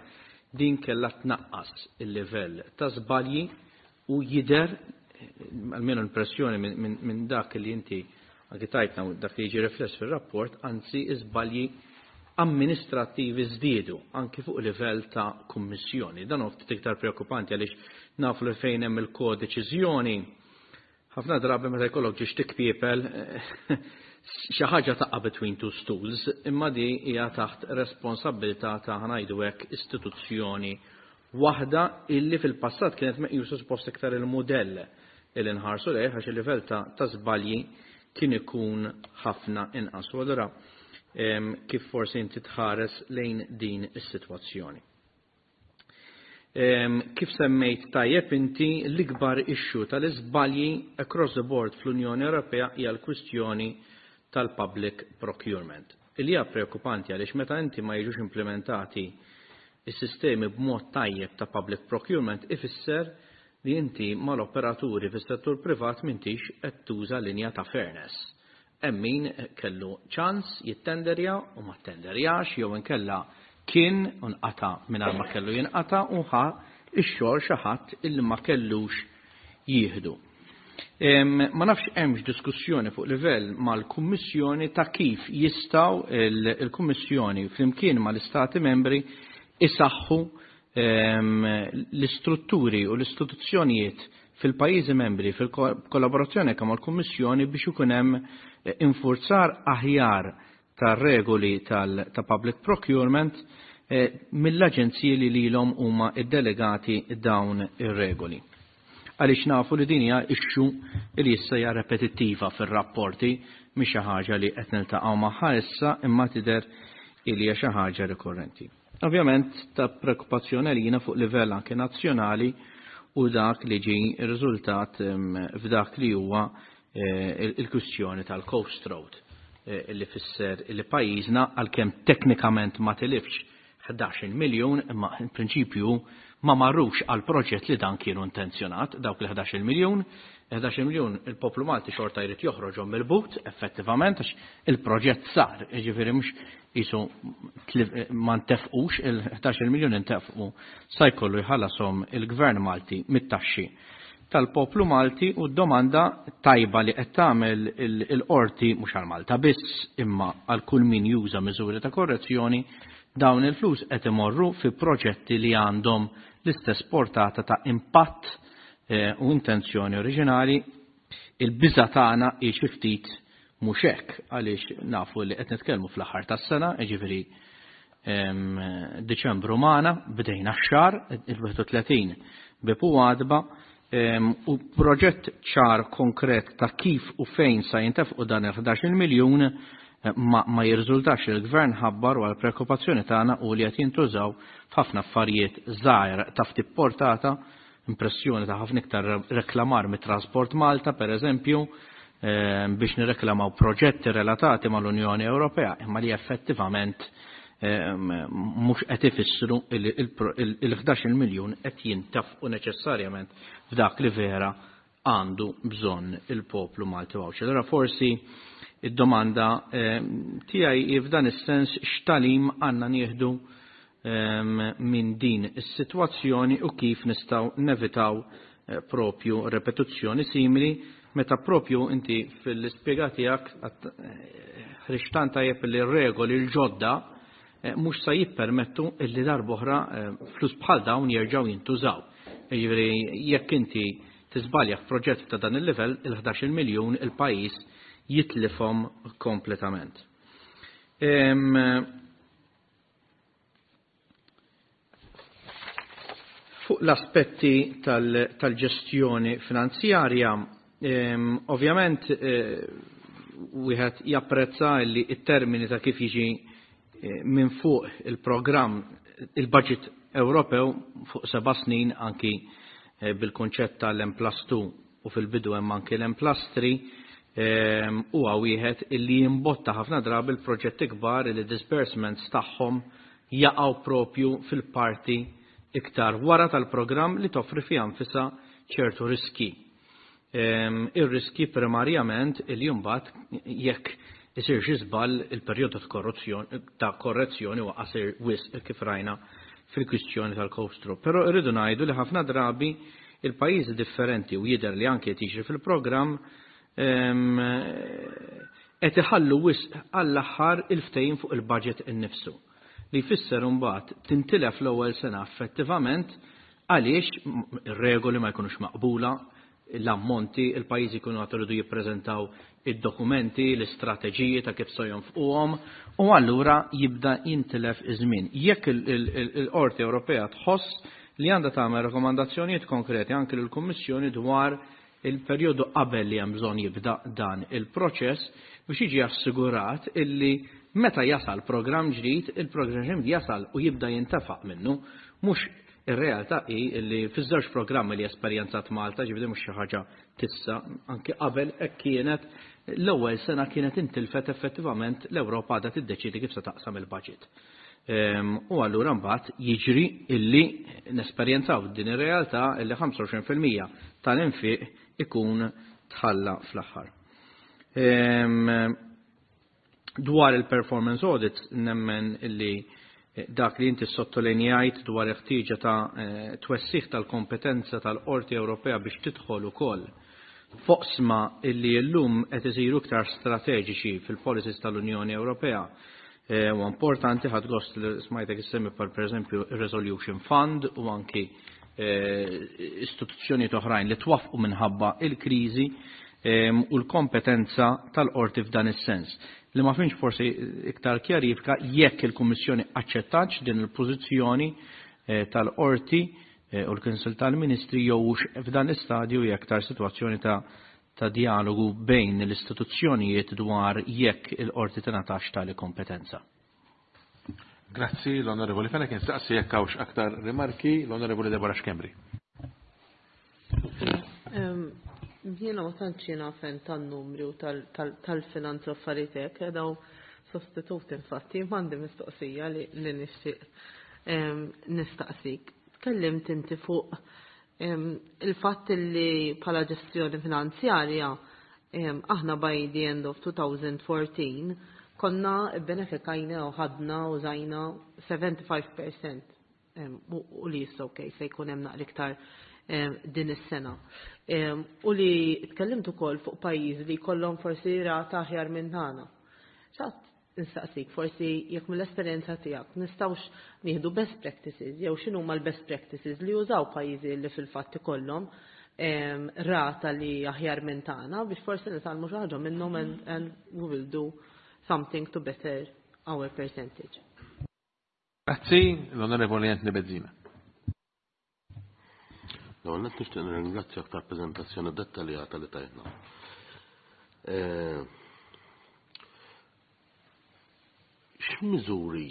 Speaker 3: din kellha tnaqqas il-livell ta' żbalji u jidher, almenu impressjoni minn dak li inti anki tajtna u dak li jiġi rifless fil-rapport, anzi iżbalji amministrativi żdiedu anki fuq livell ta' kummissjoni. Dan hu ftit iktar preokkupanti għaliex nafu li fejn hemm il-kodeċiżjoni. Ħafna drabi meta jkollok ġiex tikpiepel xi ħaġa taqa' between two stools, imma di hija taħt responsabbiltà ta' ngħidu hekk istituzzjoni waħda illi fil-passat kienet meqjusa suppost iktar il-mudell illi nħarsu lejh għax il-livell ta' żbalji kien ikun ħafna inqas. U allura kif forsi inti tħares lejn din is-sitwazzjoni. Kif semmejt tajjeb inti, l-ikbar issue tal-iżbalji across the board fl-Unjoni Ewropea hija l-kwistjoni tal-public procurement. Illi hija preokkupanti għaliex meta inti ma jiġux implementati is-sistemi b'mod tajjeb ta' public procurement ifisser li inti mal-operaturi fis-settur privat m'intix qed tuża linja ta' fairness. Hemm min kellu ċans jittenderja u ma ttenderjax jew inkella kien u nqata' mingħajr ma kellu jinqata' u ħa x-xogħol xi ħadd illi ma kellux jieħdu. Ma nafx hemmx diskussjoni fuq livell mal-Kummissjoni ta' kif jistgħu il-Kummissjoni flimkien mal-Istati membri isaħħu l-istrutturi u l-istituzzjonijiet fil-pajjiżi membri fil-kollaborazzjoni anke mal-Kummissjoni biex ikun hemm infurzar aħjar tar-regoli ta' public procurement mill-aġenziji li lilhom huma ddelegati dawn ir-regoli. Għaliex nafu li din hija issue li issa hija repetittiva fir-rapporti, mhix xi ħaġa li qed niltaqgħu magħha issa imma tidher li hija xi ħaġa rikorrenti. Ovvjament ta' preokkupazzjoni għalina fuq livell anke nazzjonali u dak li ġi riżultat f'dak li huwa il-kwistjoni tal-Coast Road li fisser li pajjiżna għalkemm teknikament ma tilifx 11 miljun imma in prinċipju ma marrux għal proġett li dan kienu intenzjonat dawk il-11 miljun. 11 miljun il-poplu Malti xorta jrid joħroġhom mill-but effettivament għax il-proġett sar, jiġifieri mhux qisu ma ntefqux il-11 miljun intefqu sa jkollu jħallasom il-Gvern Malti mit-taxxi tal-poplu Malti. U d-domanda tajba li qed tagħmel il-qorti mhux għal Malta biss imma għal kull min juża miżuri ta' korrezzjoni, dawn il-flus qed imorru fi proġetti li għandhom l-istess portata ta' impatt u intenzjoni oriġinali? Il-biża tagħna hi xi ftit mhux hekk għaliex nafu li qed nitkellmu fl-aħħar tas-sena, jiġifieri Diċembru magħna, bdejna x-xahar il-31 bib u għadba, u proġett ċar konkret ta' kif u fejn sa jintefqu dan il-11 miljun ma jirriżultax li l-gvern ħabbar, u għal-preokkupazzjoni tagħna u li qed jintużaw f'ħafna affarijiet żgħir ta' ftit portata, impressjoni ta' ħafna iktar reklamar mit-Transport Malta, per eżempju, biex nirreklamaw proġetti relatati mal-Unjoni Ewropea, imma li effettivament mhux qed ifissru il-11 miljun qed jintafqu neċessarjament f'dak li vera għandu bżonn il-poplu Malti u Għawdxi. Allura forsi id-domanda tiegħi f'dan is-sens, x'tagħlim għandna nieħdu minn din is-sitwazzjoni u kif nistgħu nevitaw propju repetizzjoni simili, meta propju inti fil-ispjega tiegħek ħriġtan tajjeb li r-regoli l-ġodda mhux sa jippermettu illi darb'oħra flus bħal dawn jerġgħu jintużaw? Jiġifieri jekk inti tiżbalja f'proġett ta' dan il-livell, il-11 miljun il-pajjiż jitlifhom kompletament. Fuq l-aspetti tal-ġestjoni finanzjarja, ovvjament wieħed japprezza li t-termini ta' kif jiġi minn fuq il-programm, il-budget Ewropew fuq 7 snin, anki bil-konċett tal-M plus 2 u fil-bidu hemm anki l-M plus 3, huwa wieħed illi jimbotta ħafna drabi l-proġetti kbar li disbursements tagħhom jaqgħu propju fil-parti iktar wara tal-programm, li toffri fiha nfisha ċertu riski. Ir-riski primarjament il mbagħad jekk isir xi żball, il-perjodu ta' korrezzjoni huwa qasir wisq, kif rajna fil-kwistjoni tal-Coast. Però irridu ngħidu li ħafna drabi il-pajjiżi differenti, u jidher li anke jiġri fil-programm, qed iħallu wisq għall-aħħar il-ftehim fuq il-budget innifsu. Li jfisser imbagħad tintilef l-ewwel sena effettivament għaliex ir-regoli ma jkunux maqbula. l-ammonti, il-pajjiżi jkunu għad iridu jippreżentaw id-dokumenti, l-istrateġiji ta' kif se jonfquhom, u allura jibda jintilef iż-żmien. Jekk il-Qorti Ewropea tħoss li għandha tagħmel rakkomandazzjonijiet konkreti anke lill-Kummissjoni dwar il-perjodu qabel li hemm bżonn jibda dan il-proċess biex jiġi assigurat illi meta jasal programm ġdid, il-programm ġdid jasal u jibda jintefaq minnu, mhux ir-realtà hi li fiż-żewġ programmi li esperjenzat Malta, ġifieri mhux xi ħaġa tissa, anke qabel hekk kienet, l-ewwel sena kienet intilfet effettivament l-Ewropa għadha tiddeċiedi kif se taqsam il-budget. U allura mbagħad jiġri illi nesperjenzaw din ir-realtà illi 25% tal-infiq ikun tħalla fl-aħħar. Dwar il-performance audits nemmen illi dak li inti sottolinjajt dwar il-ħtieġa ta' twessiħ tal-kompetenza tal-Qorti Ewropea biex tidħol ukoll f'oqsma illi llum qed isiru iktar strateġiċi fil-policies tal-Unjoni Ewropea. Huwa importanti, ħadt gost li smajtek issemmi par pereżempju ir-Resolution Fund u anki istituzzjonijiet oħrajn li twaffqu minħabba il-kriżi u l-kompetenza tal-qorti f'dan is-sens. Li ma finx forsi iktar kjarifika jekk il-Kummissjoni aċċettatx din il-pożizzjoni tal-qorti u l-Kunsill tal-Ministri jew f'dan l-istadju hija aktar sitwazzjoni ta' dialogu bejn l-istituzzjonijiet dwar jekk il-qorti tingħatax tali kompetenza.
Speaker 1: Grazzi l-Onorevoli Fenech, nistaqsi jekk hawnx aktar rimarki l-Onorevoli Deborah Schembri.
Speaker 4: Jiena ma tantx jiena fen tan-numri u tal-finanzi u affarijiet hekk, daw sostitut infatti, m'għandi mistoqsija li nixtieq nistaqsik. Tkellimt inti fuq il-fatt li bħala ġestjoni finanzjarja aħna by the end of 2014 konna benefikajna u ħadna u użajna 75% u li jissa ok se jkun hemm naqra iktar din is-sena. U li tkellimt ukoll fuq pajjiżi li jkollhom forsi rata aħjar minn tagħna. Xtaqt nistaqsik forsi jekk mill-esperjenza tiegħek nistgħux nieħdu best practices jew x'inhuma l-best practices li jużaw pajjiżi li fil-fatt ikollhom rata li aħjar minn tagħna biex forsi nitgħallmu xi ħaġa minnhom and we will do something to better our percentage.
Speaker 1: Grazzi, l-Onorevoli Anthony Bezzina.
Speaker 5: L-ewwel nett nixtieq nirringrazzjak tal-preżentazzjoni dettaljata li tajtna. X'miżuri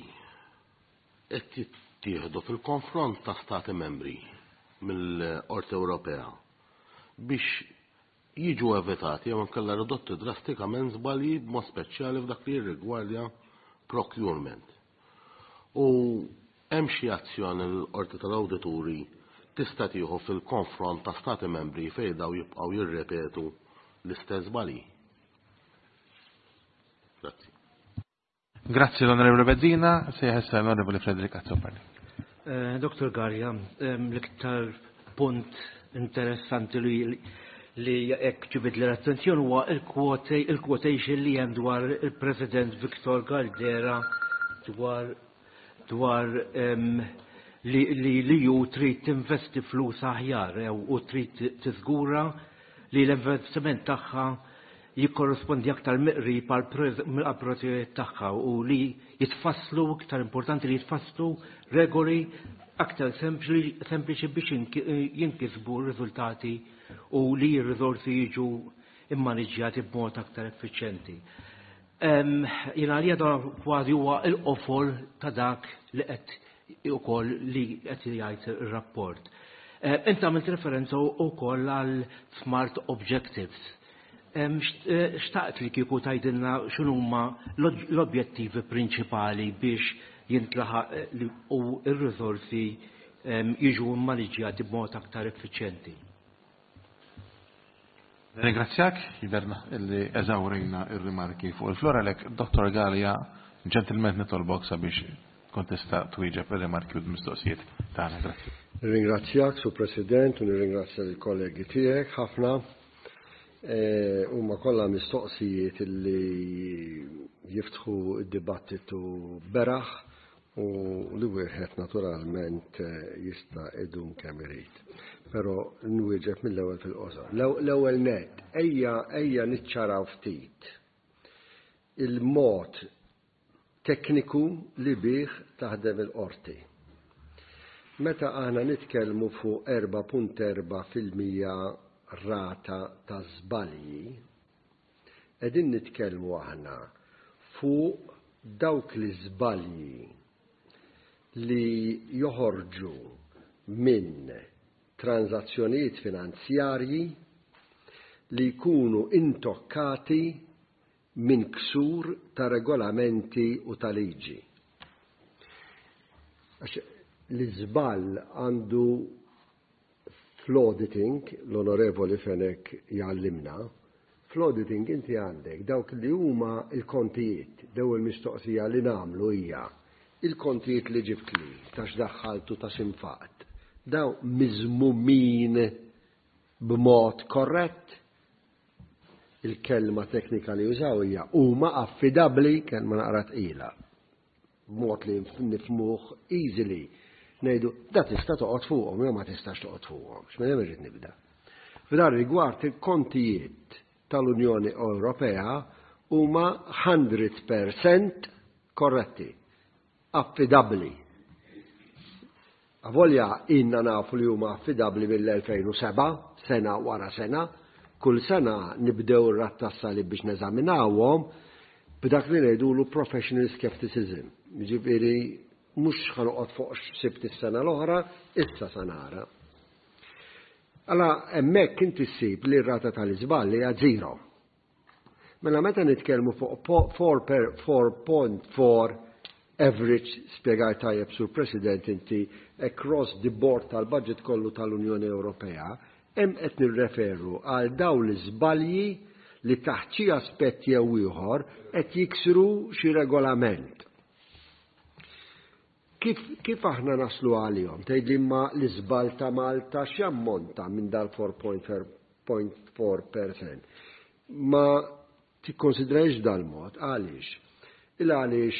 Speaker 5: qed jittieħdu fil-konfront ta' Stati membri mill-Qorti Ewropea biex jiġu evitati jew inkella ridotti drastikament żbalji b'mod speċjali f'dak li jirrigwardja procurement? U hemm xi azzjoni li l-Qorti tal-Awdituri tista' tieħu fil-konfront ta' Stati membri fejn daw jibqgħu jirrepetu l-istess żbalji? Grazzi.
Speaker 1: Grazzi l-Onorevole Bezzina, se issa l-Onorevole Frederick Azzopardi.
Speaker 6: Dr. Galea, l-iktar punt interessanti li hekk ġibid l-attenzjoni huwa il-quotation li hemm dwar il-President Victor Caldera dwar li ju trid tinvesti flus aħjar u trid tiżgura li l-investiment tagħha jikkorrispondi aktar miqrib għal tagħha u li jitfasslu, iktar importanti li jitfasslu regoli aktar sempliċi biex jinkisbu r-riżultati u li r-riżorsi jiġu immaniġġjati b'mod aktar effiċjenti. Jiena għalija dan kważi huwa l-qofol ta' dak li qed ukoll li qed jgħid ir-rapport. Inti għamilt referenza wkoll għal smart objectives. Xtaqt li kieku tgħidilna x'inhuma l-objettivi prinċipali biex jintlaħaq u r-riżorsi jiġu mmaniġġjati b'mod aktar effiċjenti.
Speaker 1: Ringrazzjak, jiderna illi eżawrejna ir-rimarki fuq il-flora lek, Dr. Galea, ġentilment nitolbok sabiex tkun tista' twieġeb ir-rimarki u l-mistoqsijiet tagħna. Grazzi.
Speaker 2: Nirringrazzjak, Sur President, u nirringrazzja l-kollegi tiegħek ħafna. Huma kollha mistoqsijiet illi jiftħu d-dibattitu beraħ u li wieħed naturalment jista' idum kemm irid. però nwieġeb mill-ewwel fil-qosor. L-ewwel nett, ejja ejja niċċaraw ftit il-mod tekniku li bih taħdem il-qorti. Meta aħna nitkellmu fuq 4.4% rata ta' żbalji, qegħdin nitkellmu aħna fuq dawk l-iżbalji li joħorġu minn tranżazzjonijiet finanzjarji li jkunu intokkati minn ksur ta' regolamenti u ta' liġi. Għax l-iżball għandu fl-auditing, l-Onorevoli Fenech jgħallimna, fl-auditing inti għandek dawk li huma l-kontijiet, l-ewwel mistoqsija li nagħmlu hija il-kontijiet li ġibtli ta' x'daħħalt u ta' x'infaqt, dawn miżmumin b'mod korrett? Il-kelma teknika li jużaw hija huma affidabbli, kelma naqra tqila. B'mod li nifhmuh easily. Ngħidu, da tista' toqgħod fuqhom jew ma tistax toqgħod fuqhom. X'minn hemm irrid nibda. F'dan rigward il-kontijiet tal-Unjoni Ewropea huma 100% korretti, affidabbli. Avolja ilna nafu li huma affidabbli mill-2007, sena wara sena, kull sena nibdew ir-radd tas-salib biex neżaminawhom b'dak li ngħidulu professional skepticism. Jiġifieri mhux ħa noqgħod fuq x'sibt is-sena l-oħra, issa sa nara. Alla hemmhekk inti ssib li r-rata tal-iżball hija zero. Mela meta nitkellmu fuq 4.4 average, spjegajt tajjeb Sur President inti across the board tal-budget kollu tal-Unjoni Ewropea, hemm qed nirreferu għal dawn l-iżbalji li taħt xi aspett jew ieħor qed jiksru xi regolament. Kif, kif aħna naslu għalihom? Tgħidli imma l-iżball ta' Malta x'jammonta minn dal-4.4%? Ma tikkonsidrajx dal-mod, għaliex? Il għaliex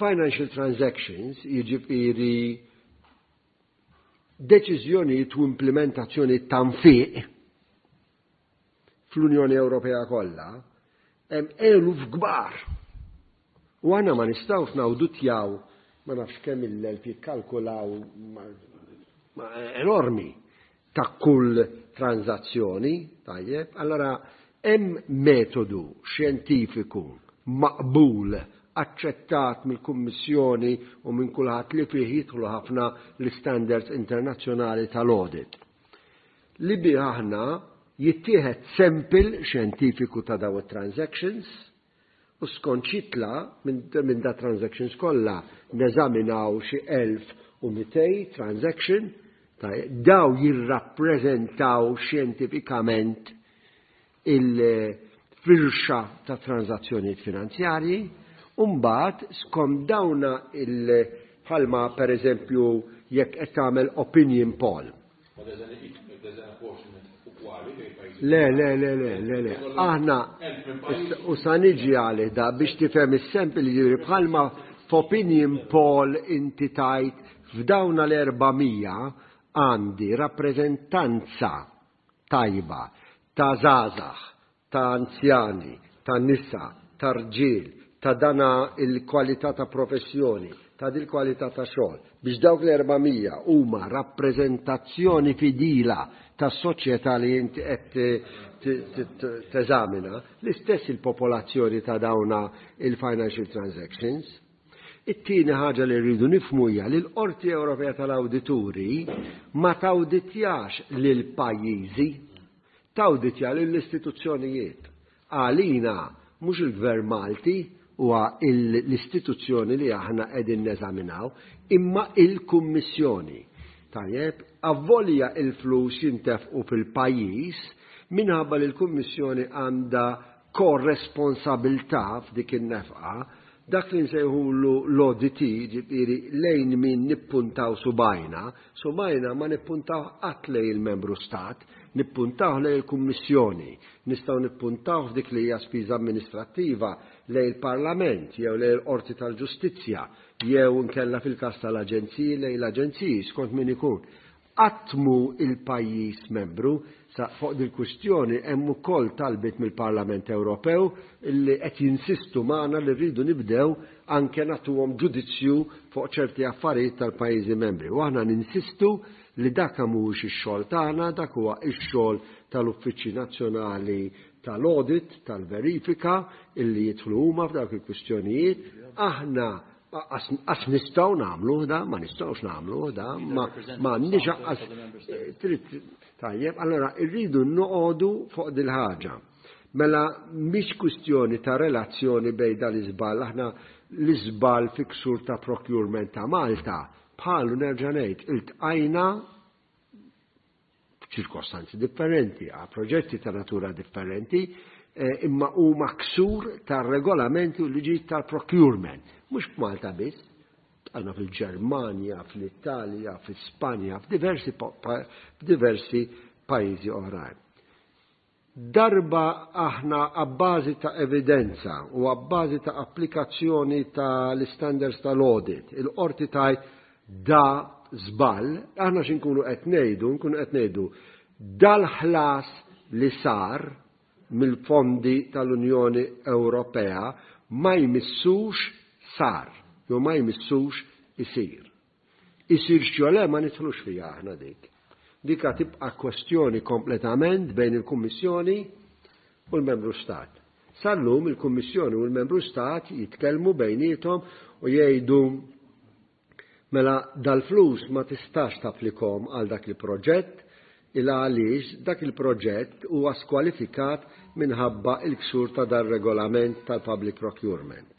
Speaker 2: financial transactions, jiġifieri deċiżjonijiet u implementazzjoni ta' nfiq fl-Unjoni Ewropea kollha, hemm eluf kbar. U aħna ma nistgħux nawdutjaw ma nafx kemm il-elf jikkalkulaw enormi ta' kull tranzazzjoni, tajjeb, allora hemm metodu xjentifiku maqbul aċċettat mill-Kummissjoni u minn kulħadd li fih jidħlu ħafna l-standards internazzjonali tal-audit. Li bih aħna jittieħed sample xjentifiku ta' daw it-transactions u skont x'jitla' minn da transactions kollha neżaminaw xi 1200 transaction, daw jirrappreżentaw xjentifikament il-firxa ta' transazzjonijiet finanzjarji, u mbagħad skont dawna il bħalma pereżempju jekk qed tagħmel opinion poll. Le, le, le, le, le, le. Aħna, u sa niġi għalih da biex tifhem is-sample jiġifieri bħalma f'opinion poll inti tajt f'dawna l-400 għandi rappreżentanza tajba ta' żgħażagħ, ta' anzjani, ta' nisa, ta' rġiel, ta' dana il-kwalità ta' professjoni, ta' dil-kwalità ta' xogħol, biex dawk l-400 huma rappreżentazzjoni fidila tas-soċjetà li inti qed teżamina, l-istess il-popolazzjoni ta' dawna il-financial transactions. It-tieni ħaġa li rridu nifhmu hija li l-Qorti Ewropea tal-Awdituri ma tawditjax lil pajjiżi, tawditja lill-istituzzjonijiet. Għalina mhux il-Gvern Malti huwa l-istituzzjoni li aħna qegħdin neżaminaw, imma il-Kummissjoni. Tajjeb, avolja il-flus jintefqu fil-pajjiż minħabba li l-Kummissjoni għandha korresponsabilità f'dik in-nefqa, dak li nsejħulu l-ODT, ġifieri lejn min nippuntaw subgħajna, subgħajna ma nippuntaw qatt lejn il-membru stat, nippuntaw lejn il-Kummissjoni, nistgħu nippuntaw f'dik li hija spiża amministrattiva lejn il-Parlament jew lejn il-Qorti tal-Ġustizzja jew inkella fil-każ tal-aġenziji lejn l-aġenziji skont min ikun. Qatt mhu il-pajjiż membru. Sa fuq dil-kwistjoni hemm ukoll talbiet mill-Parlament Ewropew li qed jinsistu magħna li rridu nibdew anke nagħtuhom ġudizzju fuq ċerti affarijiet tal-pajjiżi membri. U aħna ninsistu li dak mhuwiex ix-xogħol tagħna, dak huwa x-xogħol tal-Uffiċċji Nazzjonali tal-Audit, tal-Verifika, illi jidħlu huma f'dawk il-kwistjonijiet. Aħna Qas nistgħu nagħmlu da, ma nistgħux nagħmlu da, ma m'għandniex aqqas trid tajjeb, allora rridu noqogħdu fuq dil-ħaġa. Mela mhix kwistjoni ta' relazzjoni bejn dal-iżball, aħna l-iżball fi ksur ta' procurement ta' Malta, bħalu nerġa' ngħid, iltqajna f'ċirkostanzi differenti, għal proġetti ta' natura differenti, eh, imma huma ksur ta' regolamenti u liġijiet tal-procurement. Mhux f'Malta biss, għandna fil-Ġermanja, fl-Italja, fl-Ispanja, f'diversi f'diversi pajjiżi oħrajn. Darba aħna abbażi ta' evidenza u abbażi ta' applikazzjoni ta' l-standards tal-audit, il-qorti tgħid da żball, aħna x'inkunu qed ngħidu, nkunu qed ngħidu dal-ħlas li sar mill-fondi tal-Unjoni Ewropea ma jmissux sar, jew ma jmissux isir. Isirx jew le ma nidħlux fiha aħna dik. Dika tibqa' kwestjoni kompletament bejn il-Kummissjoni u l-Membru Stat. Sal-lum il-Kummissjoni u l-Membru Stat jitkellmu bejniethom u jgħidu mela dal-flus ma tistax tapplikhom għal dak il-proġett il għaliex dak il-proġett huwa skwalifikat minħabba il-ksur ta' dar-regolament tal-public procurement.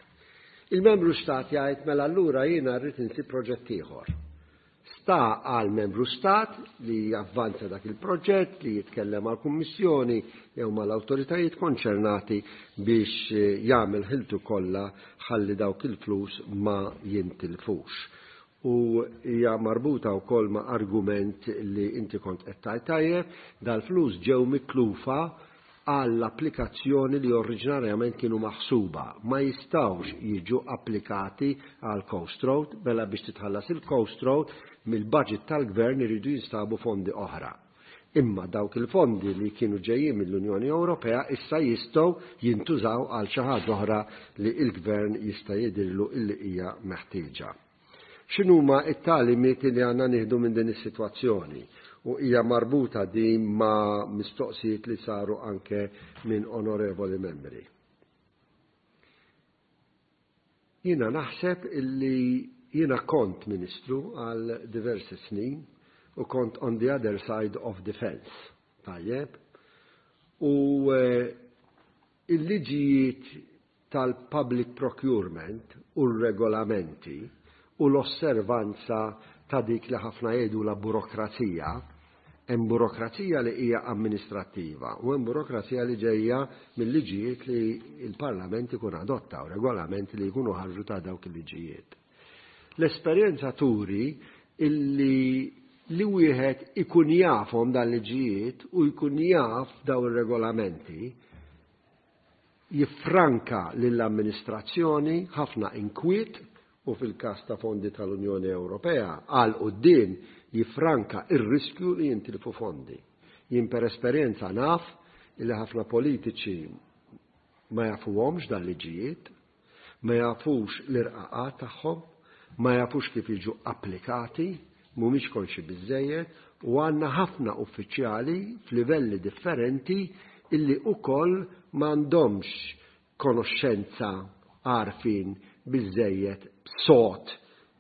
Speaker 2: Il-membru stat jgħid mela allura jiena rrid insib proġett ieħor. Sta għal membru stat li javvanza dak il-proġett, li jitkellem mal kummissjoni jew mal-awtoritajiet konċernati biex jagħmel ħiltu kollha ħalli dawk il-flus ma jintilfux. U hija marbuta wkoll ma' argument li inti kont qed tgħid tajjeb, dal-flus ġew mitlufa għall-applikazzjoni li oriġinarjament kienu maħsuba. Ma jistgħux jiġu applikati għal Coast Road, mela biex titħallas il-Coast Road mill-budget tal-gvern iridu jinstabu fondi oħra. Imma dawk il-fondi li kienu ġejjin mill-Unjoni Ewropea issa jistgħu jintużaw għal xi ħaġa oħra li l-gvern jista' jidhirlu illi hija meħtieġa. X'inhuma t-tagħlimiet li għandna nieħdu minn din is-sitwazzjoni? U hija marbuta din ma' mistoqsijiet li saru anke minn onorevoli membri. Jiena naħseb illi jiena kont ministru għal diversi snin u kont on the other side of the fence. Tajjeb. U eh, il-liġijiet tal-public procurement u r-regolamenti u l-osservanza ta' dik li ħafna jgħidulha burokrazija, hemm burokrazija li hija amministrattiva u hemm burokrazija li ġejja mill-liġijiet li l-Parlament ikun adotta u regolamenti li jkunu ħarġu ta' dawk il-liġijiet. L-esperjenza turi illi li wieħed ikun jafhom dan liġijiet u jkun jaf daw ir-regolamenti jiffranka lill-amministrazzjoni ħafna inkwiet u fil-każ ta' fondi tal-Unjoni Ewropea għal quddiem jiffranka r-riskju li jintilfu fondi. Jien per esperjenza naf illi ħafna politiċi ma jafuhomx dan liġijiet, ma jafux l-irqaqat tagħhom, ma jafux kif jiġu applikati, mhumiex konxi biżżejjed u għandna ħafna uffiċjali f'livelli differenti illi ukoll m'għandhomx konoxxenza għarfien biżżejjed sod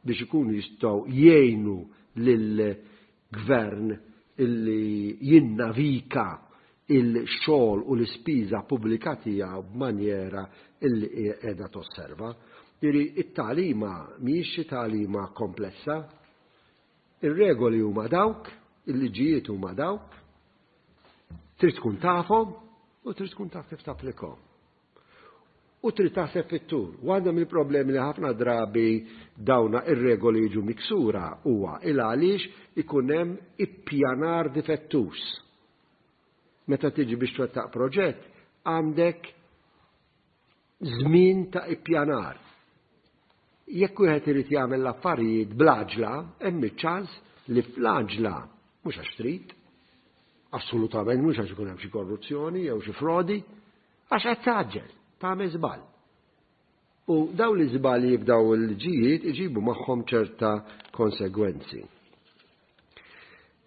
Speaker 2: biex ikunu jistgħu jgħinu lill-gvern illi jinnavika il-xogħol u l-ispiża pubblika tiegħu b'manjera illi qiegħda tosserva. Jiġifieri it-tagħlima mhijiex xi tagħlima komplessa. Ir-regoli huma dawk, il-liġijiet huma dawk, trid tkun tafhom u trid tkun taf kif tapplikhom. U trid taħseb fit-tul. Waħda mill-problemi li ħafna drabi dawna ir-regoli jiġu miksura huwa il għaliex ikun hemm ippjanar difettuż. Meta tiġi biex twettaq proġett, għandek żmien ta' ippjanar. Jekk wieħed irid jagħmel l-affarijiet bl-għaġla, hemm iċ-ċans li fl-għaġla. Mhux għax trid, assolutament mhux għax ikun hemm xi korruzzjoni jew xi frodi, għax qed tgħaġġel, tagħmel żball. U dawn l-iżbalji f'daw il-liġijiet iġibu magħhom ċerta konsegwenzi.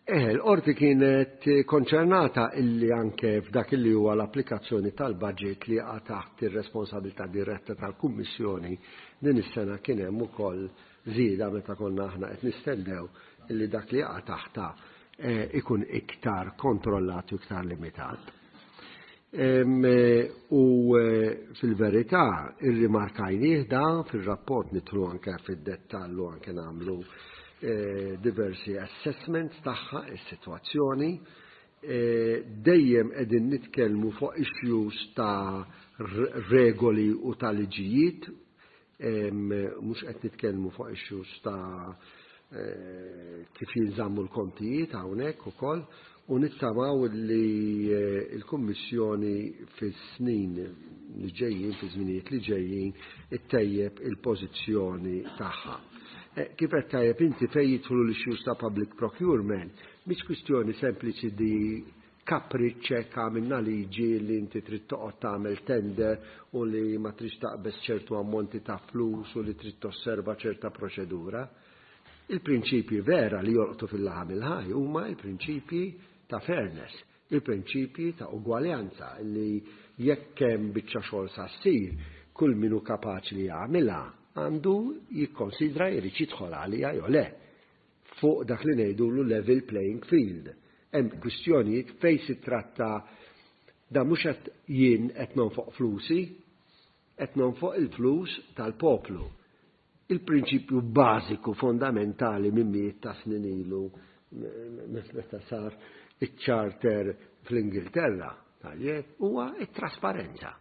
Speaker 2: Eh, l-qorti kienet konċernata illi anke f'dak illi huwa l-applikazzjoni tal-budget li jaqa' taħt ir-responsabilità diretta tal-Kummissjoni din is-sena kien hemm ukoll żieda meta konna aħna qed nistennew illi dak li jaqa' taħta eh, ikun iktar kontrollat u iktar limitat. Eh, u eh, fil-verità irrimarkajnieh da fil-rapport nidħlu anke fid-dettall u anke nagħmlu diversi assessments tagħha is-sitwazzjoni. Dejjem qegħdin nitkellmu fuq issues ta' regoli u ta' liġijiet, mhux qed nitkellmu fuq issues ta' kif jinżammu l-kontijiet hawnhekk ukoll u nittamaw li l-Kummissjoni fis-snin li ġejjin, fi żminijiet li ġejjin, ittejjeb il-pożizzjoni tagħha. Kif qed tajjeb inti fejn jidħlu l-issues ta' public procurement, mhix kwistjoni sempliċi di kapriċċ hekk għamilna liġi li inti trid toqgħod tagħmel tender u li ma tridx taqbeż ċertu ammonti ta' flus u li trid tosserva ċerta proċedura. Il-prinċipji vera li jolqtu fil-laħam il-ħaj huma l-prinċipji ta' fairness, il-prinċipji ta' ugwaljanza li jekk hemm biċċa xogħol sa ssir, kull min hu kapaċi li jagħmilha għandu jikkonsidra jrid jidħol għaliha jew le. Fuq dak li ngħidulu level playing field. Hemm kwistjonijiet fejn si tratta da mhux qed jien qed nonfoq flusi, qed nonfoq il-flus tal-poplu. Il-prinċipju bażiku fondamentali minn mijiet ta' snin ilu meta sar iċ-charter fl-Ingilterra, tajjeb, huwa t-trasparenza.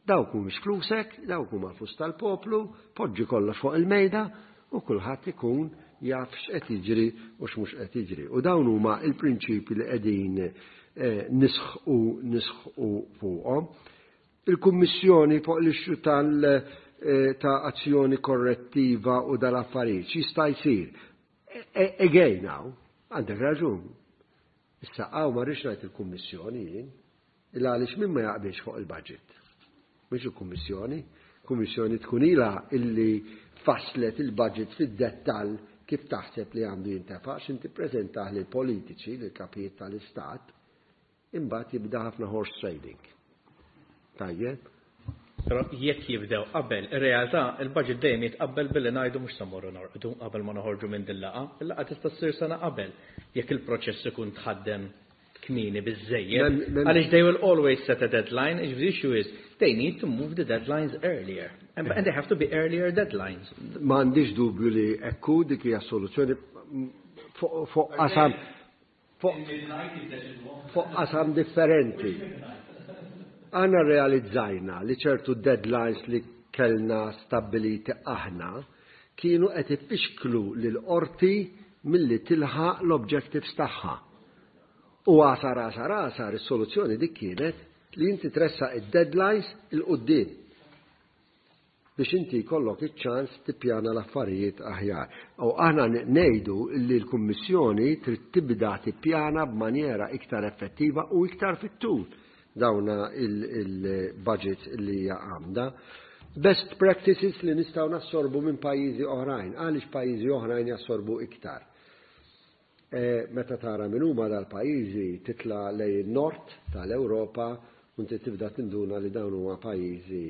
Speaker 2: Dawk mhumiex flusek, dawk huma flus tal-poplu, poġġi kollox fuq il-mejda u kulħadd ikun jaf x'qed jiġri u x'mhux qed jiġri. U dawn huma l-prinċipji li qegħdin eh, nisħqu nisħqu fuqhom. Il-Kummissjoni fuq l-issue tal eh, ta' azzjoni korrettiva u dal-affarijiet jista' jsir. E, e, again now, għandek raġun. Issa hawn ma rridx ngħid il-Kummissjoni jien, illa għaliex min ma jaqbilx fuq il-budget. Mhux il-Kummissjoni. Kummissjoni tkun ilha illi fasslet il-budget fid-dettall kif taħseb li għandu jintefa' x'inti ppreżentah lill-politiċi, lill-kapijiet tal-istat, Imbagħad jibda ħafna horse trading. Tajjeb?
Speaker 3: Però jekk jibdew qabel, ir-realtà il-budget dejjem jitqabbel billi ngħidu mhux se mmorru norqdu qabel ma noħorġu minn din laqgħa. Il-laqgħa tista' ssir sena qabel jekk il-proċess ikun tħaddem kmieni biżżejjed. Għaliex they will always set a deadline, the issue is they need to move the deadlines earlier. And, and they have to be earlier deadlines.
Speaker 2: M'għandix dubju li ekku dik hija soluzzjoni fuq qasam Fuq qasam differenti. Aħna rrealizzajna li ċertu deadlines li kellna stabbiliti aħna kienu qed ifixklu lill-Qorti milli tilħaq l-objectives tagħha. U għasar għasar għasar is-soluzzjoni dik kienet li inti tressaq id-deadlines 'il quddiem. Biex inti jkollok iċ-ċans tippjana l-affarijiet aħjar. U aħna ngħidu li l-Kummissjoni trid tibda tippjana b'manjera iktar effettiva u iktar fit-tul dawna il-budgets li hija għamda. Best practices li nistgħu nassorbu minn pajjiżi oħrajn, għaliex pajjiżi oħrajn jassorbu iktar. E, meta tara min huma dal-pajjiżi titla' lejn in-nord tal-Ewropa u inti tibda tinduna li dawn huma pajjiżi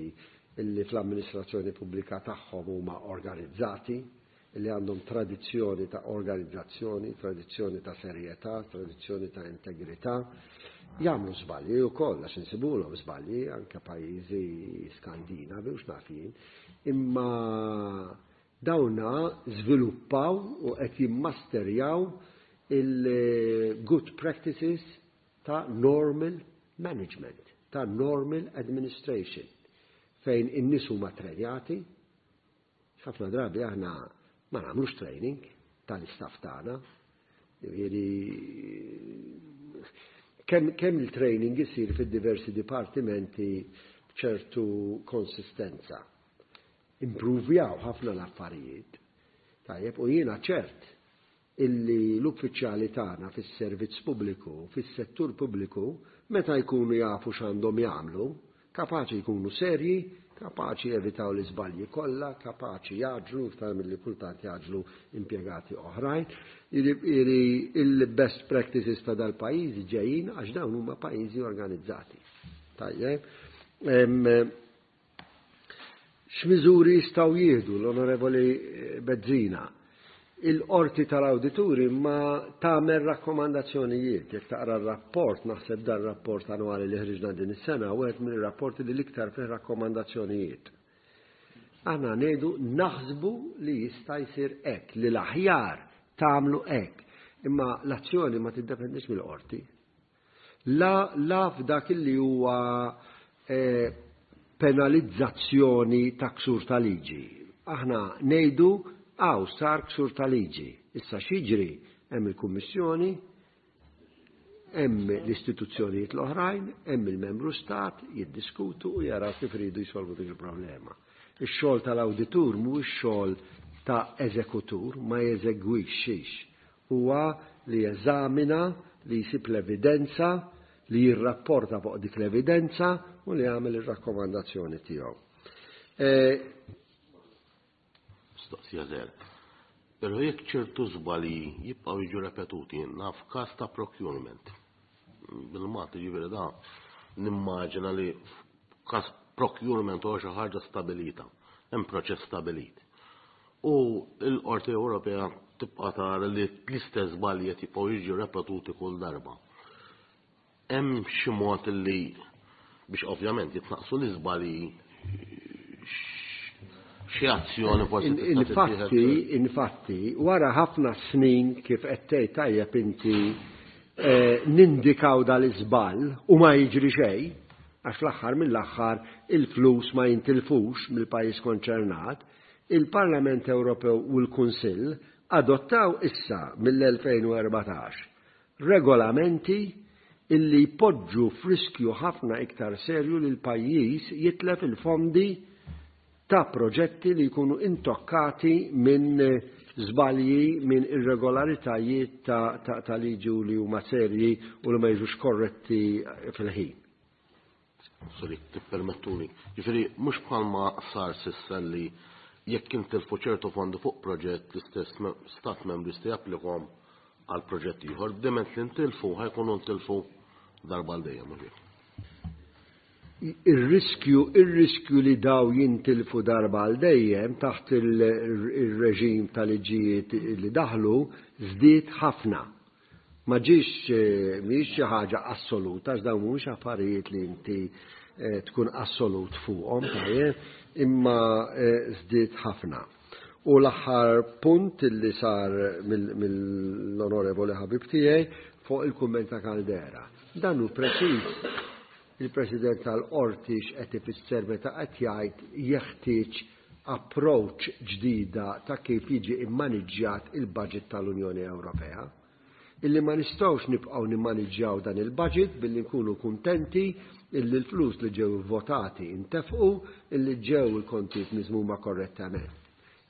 Speaker 2: illi fl-amministrazzjoni pubblika tagħhom huma organizzati, illi għandhom tradizzjoni ta' organizzazzjoni, tradizzjoni ta' serjetà, tradizzjoni ta' integrità. Jagħmlu żbalji wkoll għax insibulhom żbalji anke pajjiżi Skandinavi u x'naf jien, imma Dawna żviluppaw u qed jimmasterjaw il-good practices ta' normal management, ta' normal administration, fejn in-nies huma ttrenjati. Ħafna drabi aħna ma nagħmlux training tal-istaff tagħna. Jiġifieri kemm kemm il-training isir fid-diversi dipartimenti b'ċertu konsistenza. Impruvjaw ħafna l-affarijiet. Tajjeb, u jiena ċert illi l-uffiċjali tagħna fis-servizz pubbliku, fis-settur pubbliku, meta jkunu jafu x'għandhom jagħmlu, kapaċi jkunu serji, kapaċi jevitaw l-iżbalji kollha, kapaċi jgħaġġlu iktar milli kultant jgħaġġlu impjegati oħrajn. Jiġifieri il-best practices ta' dal-pajjiżi ġejjin għax dawn huma pajjiżi organizzati. Tajjeb. X'miżuri jistgħu jieħdu l-Onorevoli Bezzina? Il-Qorti tal-Awdituri ma tagħmel rakkomandazzjonijiet. Jekk taqra r-rapport, naħseb dan rapport annwali li ħriġna din is-sena, wieħed mill-rapporti li l-iktar fih rakkomandazzjonijiet. Aħna ngħidu naħsbu li jista' jsir hekk, li l-aħjar tagħmlu hekk. Imma l-azzjoni ma tiddependix mill-qorti. La, la f'dak li huwa eh, penalizzazzjoni ta' ksur ta' liġi. Aħna ngħidu hawn sar ksur ta' liġi. Issa x'jiġri hemm il-Kummissjoni, hemm l-istituzzjonijiet l-oħrajn, hemm il-membru stat jiddiskutu u jaraw kif iridu jsolvu dik il-problema. Ix-xogħol tal-awditur mhuwiex xogħol ta' eżekutur, ma jeżegwixxix. Huwa li jeżamina, li jsib l-evidenza, li jirrapporta fuq dik l-evidenza u li jagħmel ir-rakkomandazzjoni tiegħu. E,
Speaker 5: Mistoqsija żgħira. Però jekk ċertu żbalji jibqgħu jiġu repetuti, naf każ ta' procurement. Bil-Malti ġifieri da nimmaġina li f'każ procurement huwa xi ħaġa stabilita, hemm proċess stabilit. U l-Qorti Ewropea tibqa' tara li l-istess żbalji qed jibqgħu jiġu repetuti kull darba. Hemm xi mod li biex ovvjament jitnaqqsu l-iżbalji xi azzjoni forsi
Speaker 2: Infatti, infatti, wara ħafna snin kif qed tgħid tajjeb inti eh, nindikaw dal-iżball u ma jiġri xejn, għax fl-aħħar mill-aħħar il-flus ma jintilfux mill-pajjiż konċernat, il-Parlament Ewropew u l-Kunsill adottaw issa mill-2014 regolamenti illi jpoġġu f'riskju ħafna iktar serju li l-pajjiż jitlef il-fondi ta' proġetti li jkunu intokkati minn żbalji, minn irregolaritajiet ta', ta, ta liġi u li huma serji u li ma jiġux korretti fil-ħin.
Speaker 5: Sorry, tippermettuli. Ġifieri mhux bħalma sar s'issa li jekk intilfu ċertu fondi fuq proġett l-istess stat membru jista' japplikhom għal proġett ieħor, diment li ntilfu ħa jkunu ntilfu darba għal dejjem mhux hekk.
Speaker 2: Ir-riskju ir-riskju li daw jintilfu darba għal dejjem taħt il-reġim tal-liġijiet li daħlu żdied ħafna. Ma ġiex mhijiex xi ħaġa assoluta għax dawn mhumiex affarijiet li inti tkun assolut fuqhom, tajjeb, imma żdied ħafna. U l-aħħar punt li sar mill-onorevoli ħabib tiegħi fuq il-kumment ta' Caldera. Dan hu preċiż il-President tal-Qorti x'qed ifisser meta qed jgħid jeħtieġ approach ġdida ta' kif jiġi immaniġġjat il-budget tal-Unjoni Ewropea. Illi ma nistgħux nibqgħu nimmaniġġjaw dan il-budget billi nkunu kuntenti illi l-flus li ġew votati intefqu, illi ġew il-kontijiet miżmuma korrettament.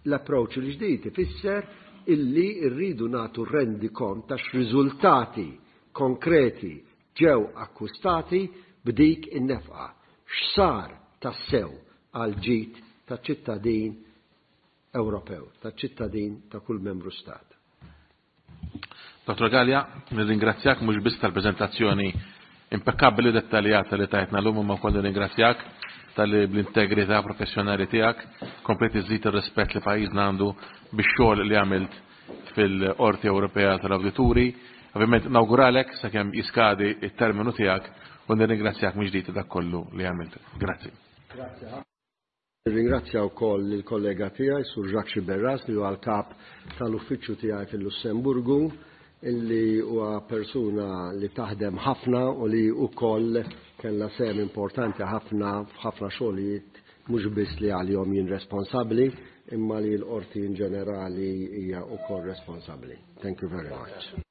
Speaker 2: L-approach il-ġdid ifisser illi rridu nagħtu rendikont ta' x'riżultati konkreti ġew akkwistati b'dik in-nefqa. X'sar tassew għall-ġid taċ-ċittadin Ewropew, taċ-ċittadin ta' kull membru stat.
Speaker 1: Dottor Galea, nirringrazzjak mhux biss tal-preżentazzjoni impekkabbli u dettaljata li tajtna llum imma wkoll nirringrazzjak talli bl-integrità professjonali tiegħek komplejt iżżid ir-rispett li pajjiżna għandu bix-xogħol li għamilt fil-Qorti Ewropea tal-Awdituri. Ovvjament nawguralek sakemm jiskadi it-terminu tiegħek u nirringrazzjak mill-ġdid ta' dak kollu li għamilt. Grazzi.
Speaker 2: Grazzi. Nirringrazzja wkoll lill-kollega tiegħi Sur Jacques Sciberras li huwa l-kap tal-uffiċċju tiegħi fil-Lussemburgu illi huwa persuna li taħdem ħafna u li wkoll kellha sehem importanti ħafna f'ħafna xogħlijiet mhux biss li għalihom jien responsabbli imma li l-qorti in ġenerali hija wkoll responsabbli. Thank you very much.